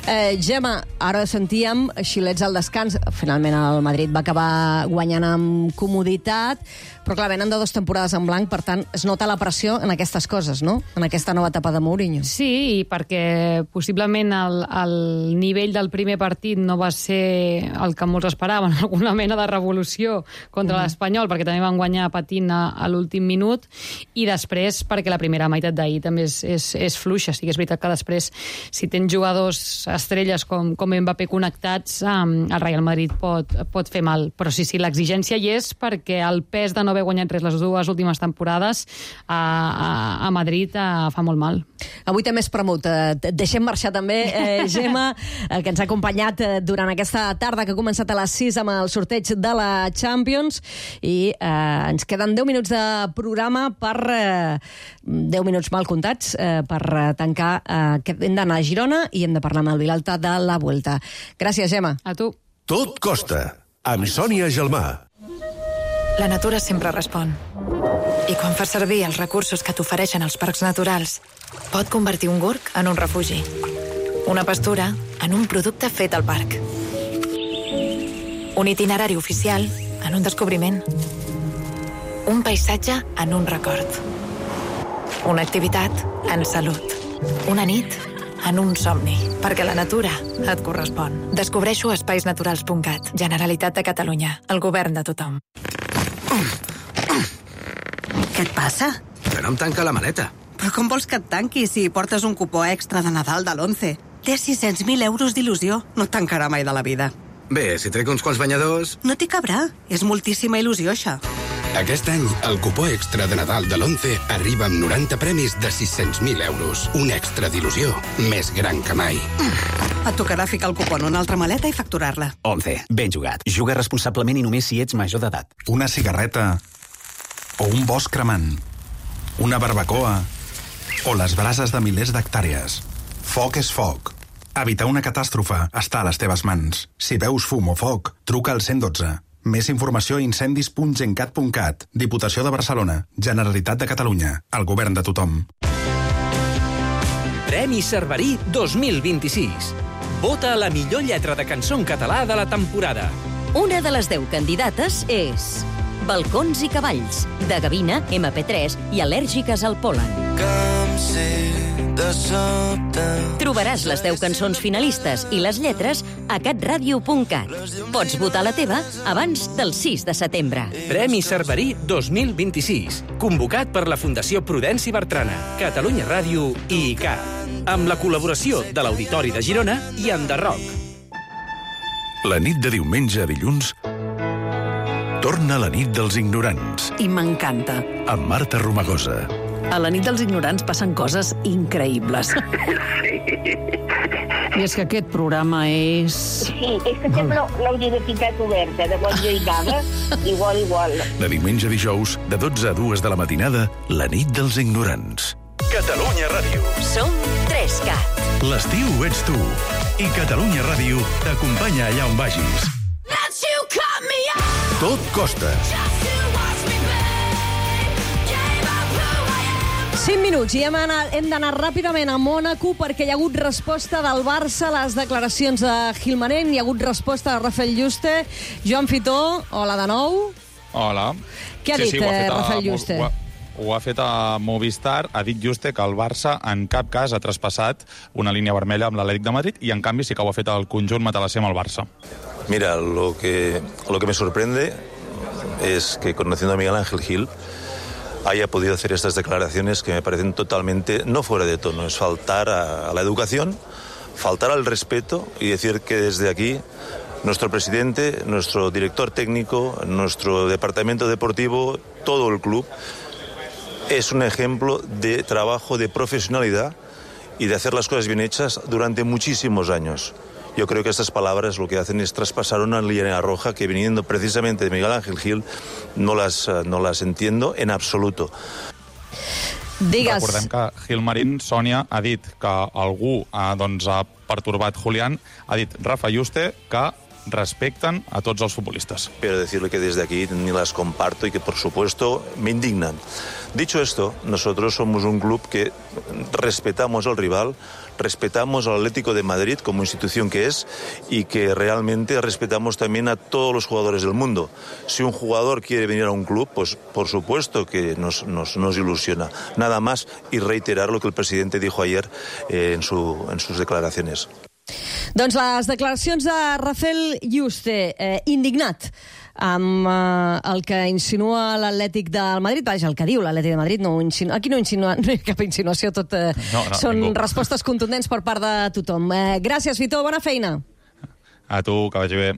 Eh, Gemma, ara sentíem xilets al descans. Finalment el Madrid va acabar guanyant amb comoditat, però clar, venen de dues temporades en blanc, per tant, es nota la pressió en aquestes coses, no? En aquesta nova etapa de Mourinho. Sí, i perquè possiblement el, el nivell del primer partit no va ser el que molts esperaven, alguna mena de revolució contra mm. l'Espanyol, perquè també van guanyar patint a, a l'últim minut, i després perquè la primera meitat d'ahir també és, és, és fluixa. Sí que és veritat que després, si tens jugadors estrelles com, com Mbappé connectats, um, el Real Madrid pot, pot fer mal. Però sí, sí, l'exigència hi és, perquè el pes de no haver guanyat res les dues últimes temporades a, a, a Madrid a, fa molt mal. Avui també és premut. Et deixem marxar també, eh, Gemma, eh, que ens ha acompanyat eh, durant aquesta tarda, que ha començat a les sis amb el sorteig de la Champions, i eh, ens queden deu minuts de programa per... Eh, deu minuts mal comptats eh, per tancar eh, que hem d'anar a Girona i hem de parlar amb el Vilalta de la Vuelta. Gràcies, Gemma. A tu. Tot costa, amb Sònia Gelmà. La natura sempre respon. I quan fas servir els recursos que t'ofereixen els parcs naturals, pot convertir un gorg en un refugi. Una pastura en un producte fet al parc. Un itinerari oficial en un descobriment. Un paisatge en un record. Una activitat en salut. Una nit en un somni. Perquè la natura et correspon. Descobreixo a espais naturals punt cat. Generalitat de Catalunya. El govern de tothom. Què et passa? Que no em tanca la maleta. Però com vols que et tanqui si portes un cupó extra de Nadal de l'onze? Té sis-cents mil euros d'il·lusió. No et tancarà mai de la vida. Bé, si trec uns quants banyadors... No t'hi cabrà. És moltíssima il·lusió, això. Aquest any, el cupó extra de Nadal de l'Once arriba amb noranta premis de sis-cents mil euros. Un extra d'il·lusió més gran que mai. Et tocarà ficar el cupó en una altra maleta i facturar-la. Once. Ben jugat. Juga responsablement i només si ets major d'edat. Una cigarreta o un bosc cremant. Una barbacoa o les brases de milers d'hectàrees. Foc és foc. Evitar una catàstrofe està a les teves mans. Si veus fum o foc, truca al cent dotze. Més informació a incendis punt gencat punt cat. Diputació de Barcelona. Generalitat de Catalunya. El govern de tothom. Premi Cerverí dos mil vint-i-sis. Vota la millor lletra de cançó en català de la temporada. Una de les deu candidates és Balcons i cavalls, de Gavina, ema pe tres i Al·lèrgiques al pol·len. Trobaràs les deu cançons finalistes i les lletres a catradio punt cat. Pots votar la teva abans del sis de setembre. Premi Cerverí dos mil vint-i-sis. Convocat per la Fundació Prudenci Bertrana, Catalunya Ràdio i I C A. Amb la col·laboració de l'Auditori de Girona i Enderroc. La nit de diumenge a dilluns torna la nit dels ignorants. I m'encanta. Amb Marta Romagosa. A la nit dels ignorants passen coses increïbles. I és que aquest programa és... Sí, és que sembla la universitat oberta, de bon dia i gana, igual, igual. De diumenge a dijous, de dotze a dues de la matinada, la nit dels ignorants. Catalunya Ràdio. Som tres cat. L'estiu ets tu. I Catalunya Ràdio t'acompanya allà on vagis. Tot costa. cinc minuts i hem, anat, hem d'anar ràpidament a Mònaco perquè hi ha hagut resposta del Barça a les declaracions de Gilmarín, hi ha hagut resposta de Rafael Yuste. Joan Fitó, hola de nou. Hola. Què ha sí, dit sí, eh, a, Rafael Yuste? Ho, ho, ho ha fet a Movistar, ha dit Yuste que el Barça en cap cas ha traspassat una línia vermella amb l'Atlètic de Madrid i en canvi sí que ho ha fet el conjunt matalasser amb el Barça. Mira, lo que, lo que me sorprende es que conociendo a Miguel Ángel Gil haya podido hacer estas declaraciones que me parecen totalmente no fuera de tono. Es faltar a, a la educación, faltar al respeto y decir que desde aquí nuestro presidente, nuestro director técnico, nuestro departamento deportivo, todo el club, es un ejemplo de trabajo, de profesionalidad y de hacer las cosas bien hechas durante muchísimos años. Yo creo que estas palabras lo que hacen es traspasar una línea roja que, viniendo precisamente de Miguel Ángel Gil, no las, no las entiendo en absoluto. Digues. Recordem que Gilmarín, Sònia, ha dit que algú ha, doncs, ha pertorbat Julián, ha dit Rafa Yuste que respecten a tots els futbolistes. Pero decirle que desde aquí ni las comparto y que, por supuesto, me indignan. Dicho esto, nosotros somos un club que respetamos al rival, respetamos al Atlético de Madrid como institución que es y que realmente respetamos también a todos los jugadores del mundo. Si un jugador quiere venir a un club, pues por supuesto que nos, nos, nos ilusiona. Nada más y reiterar lo que el presidente dijo ayer eh, en, su, en sus declaraciones. Doncs les declaracions de Rafael Yuste, eh, indignat amb eh, el que insinua l'Atlètic del Madrid. Vaja, el que diu l'Atlètic de Madrid. No insinua, aquí no, insinua, no hi ha cap insinuació, tot eh, no, no, són ningú. respostes contundents per part de tothom. Eh, gràcies, Fitó, bona feina. A tu, que vagi bé.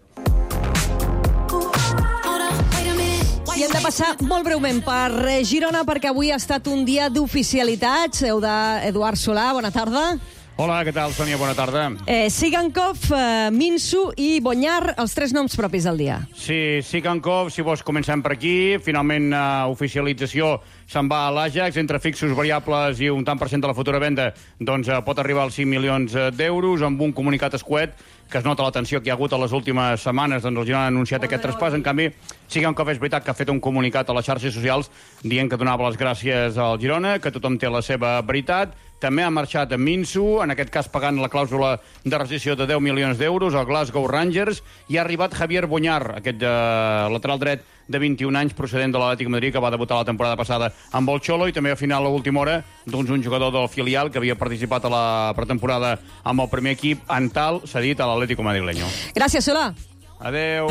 I hem de passar molt breument per Girona perquè avui ha estat un dia d'oficialitats. Heu d'Eduard Solà, bona tarda. Hola, què tal, Sònia? Bona tarda. Eh, Sigankov, eh, Minsu i Bonyar, els tres noms propis del dia. Sí, Sigankov, si vols comencem per aquí. Finalment, eh, oficialització se'n va a l'Ajax, entre fixos, variables i un tant per cent de la futura venda, doncs eh, pot arribar als cinc milions d'euros, amb un comunicat escuet que es nota la tensió que hi ha hagut a les últimes setmanes, doncs el Girona ha anunciat aquest traspàs. En canvi, Sigankov és veritat que ha fet un comunicat a les xarxes socials dient que donava les gràcies al Girona, que tothom té la seva veritat. També ha marxat a Minsu, en aquest cas pagant la clàusula de rescissió de deu milions d'euros al Glasgow Rangers, i ha arribat Javier Bonyar, aquest eh, lateral dret de vint-i-un anys, procedent de l'Atlètic de Madrid, que va debutar la temporada passada amb el Xolo, i també a final a l'última hora doncs un jugador del filial que havia participat a la pretemporada amb el primer equip, Antal, cedit a l'Atlético madrileño. Gràcies, Solà. Adeu.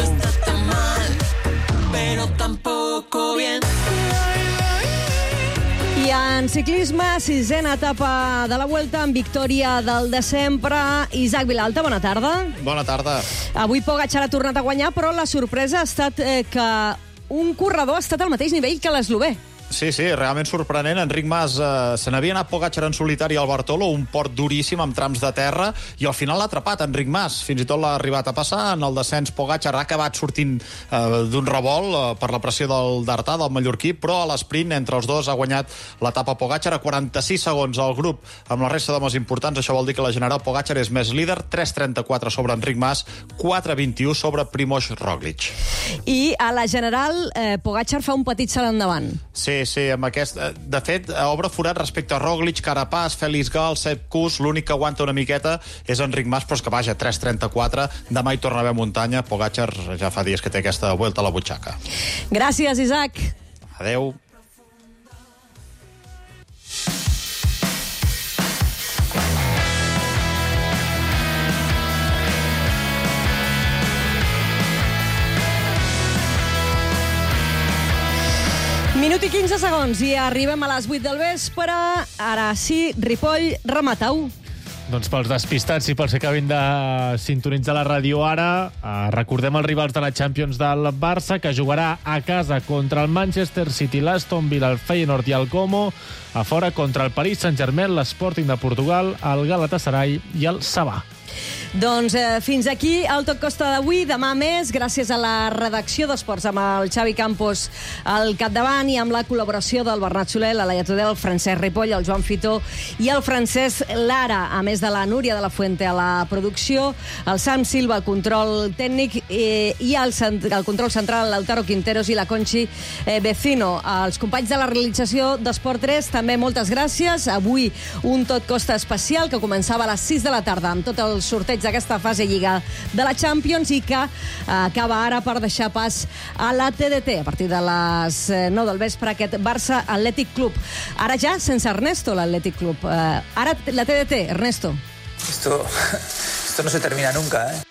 I en En ciclisme, sisena etapa de la Vuelta amb victòria del de sempre. Isaac Vilalta, bona tarda. Bona tarda. Avui Pogačar ha tornat a guanyar, però la sorpresa ha estat eh, que un corredor ha estat al mateix nivell que l'eslovè. Sí, sí, realment sorprenent. Enric Mas eh, se n'havia anat Pogačar en solitari al Bartolo, un port duríssim amb trams de terra, i al final l'ha atrapat Enric Mas. Fins i tot l'ha arribat a passar. En el descens Pogačar ha acabat sortint eh, d'un revolt eh, per la pressió del d'Artà, del mallorquí, però a l'esprint entre els dos ha guanyat l'etapa Pogačar a quaranta-sis segons al grup amb la resta d'homes importants. Això vol dir que la general Pogačar és més líder, tres trenta-quatre sobre Enric Mas, quatre vint-i-u sobre Primož Roglič. I a la general eh, Pogačar fa un petit salt endavant. Sí, sí, amb aquest... De fet, obre forat respecte a Roglič, Carapaz, Félix Gal, Sepp Kuss. L'únic que aguanta una miqueta és Enric Mas, però és que vaja, tres trenta-quatre. Demà hi torna a haver muntanya. Pogačar ja fa dies que té aquesta vuelta a la butxaca. Gràcies, Isaac. Adeu. Minut i quinze segons i arribem a les vuit del vespre. Ara sí, Ripoll, remata-ho. Doncs pels despistats i pels que acabin de sintonitzar la ràdio ara, eh, recordem els rivals de la Champions del Barça, que jugarà a casa contra el Manchester City, l'Aston Villa, el Feyenoord i el Como, a fora contra el Paris Saint-Germain, l'Sporting de Portugal, el Galatasaray i el Sabah. Doncs eh, fins aquí el Tot Costa d'avui. Demà més, gràcies a la redacció d'Esports amb el Xavi Campos al capdavant i amb la col·laboració del Bernat Soler, la Laia Tudel, el Francesc Ripoll, el Joan Fitó i el Francesc Lara, a més de la Núria de la Fuente a la producció, el Sam Silva, el control tècnic, eh, i el, el control central, l'Altaro Quinteros i la Conchi eh, Vecino. Els companys de la realització d'Esport tres, també moltes gràcies. Avui un Tot Costa especial que començava a les sis de la tarda amb tot el sorteig d'aquesta fase lliga de la Champions i que eh, acaba ara per deixar pas a la T D T a partir de les eh, nou del vespre, aquest Barça Athletic Club. Ara ja sense Ernesto, l'Athletic Club. Eh, ara la T D T, Ernesto. Esto, esto no se termina nunca, ¿eh?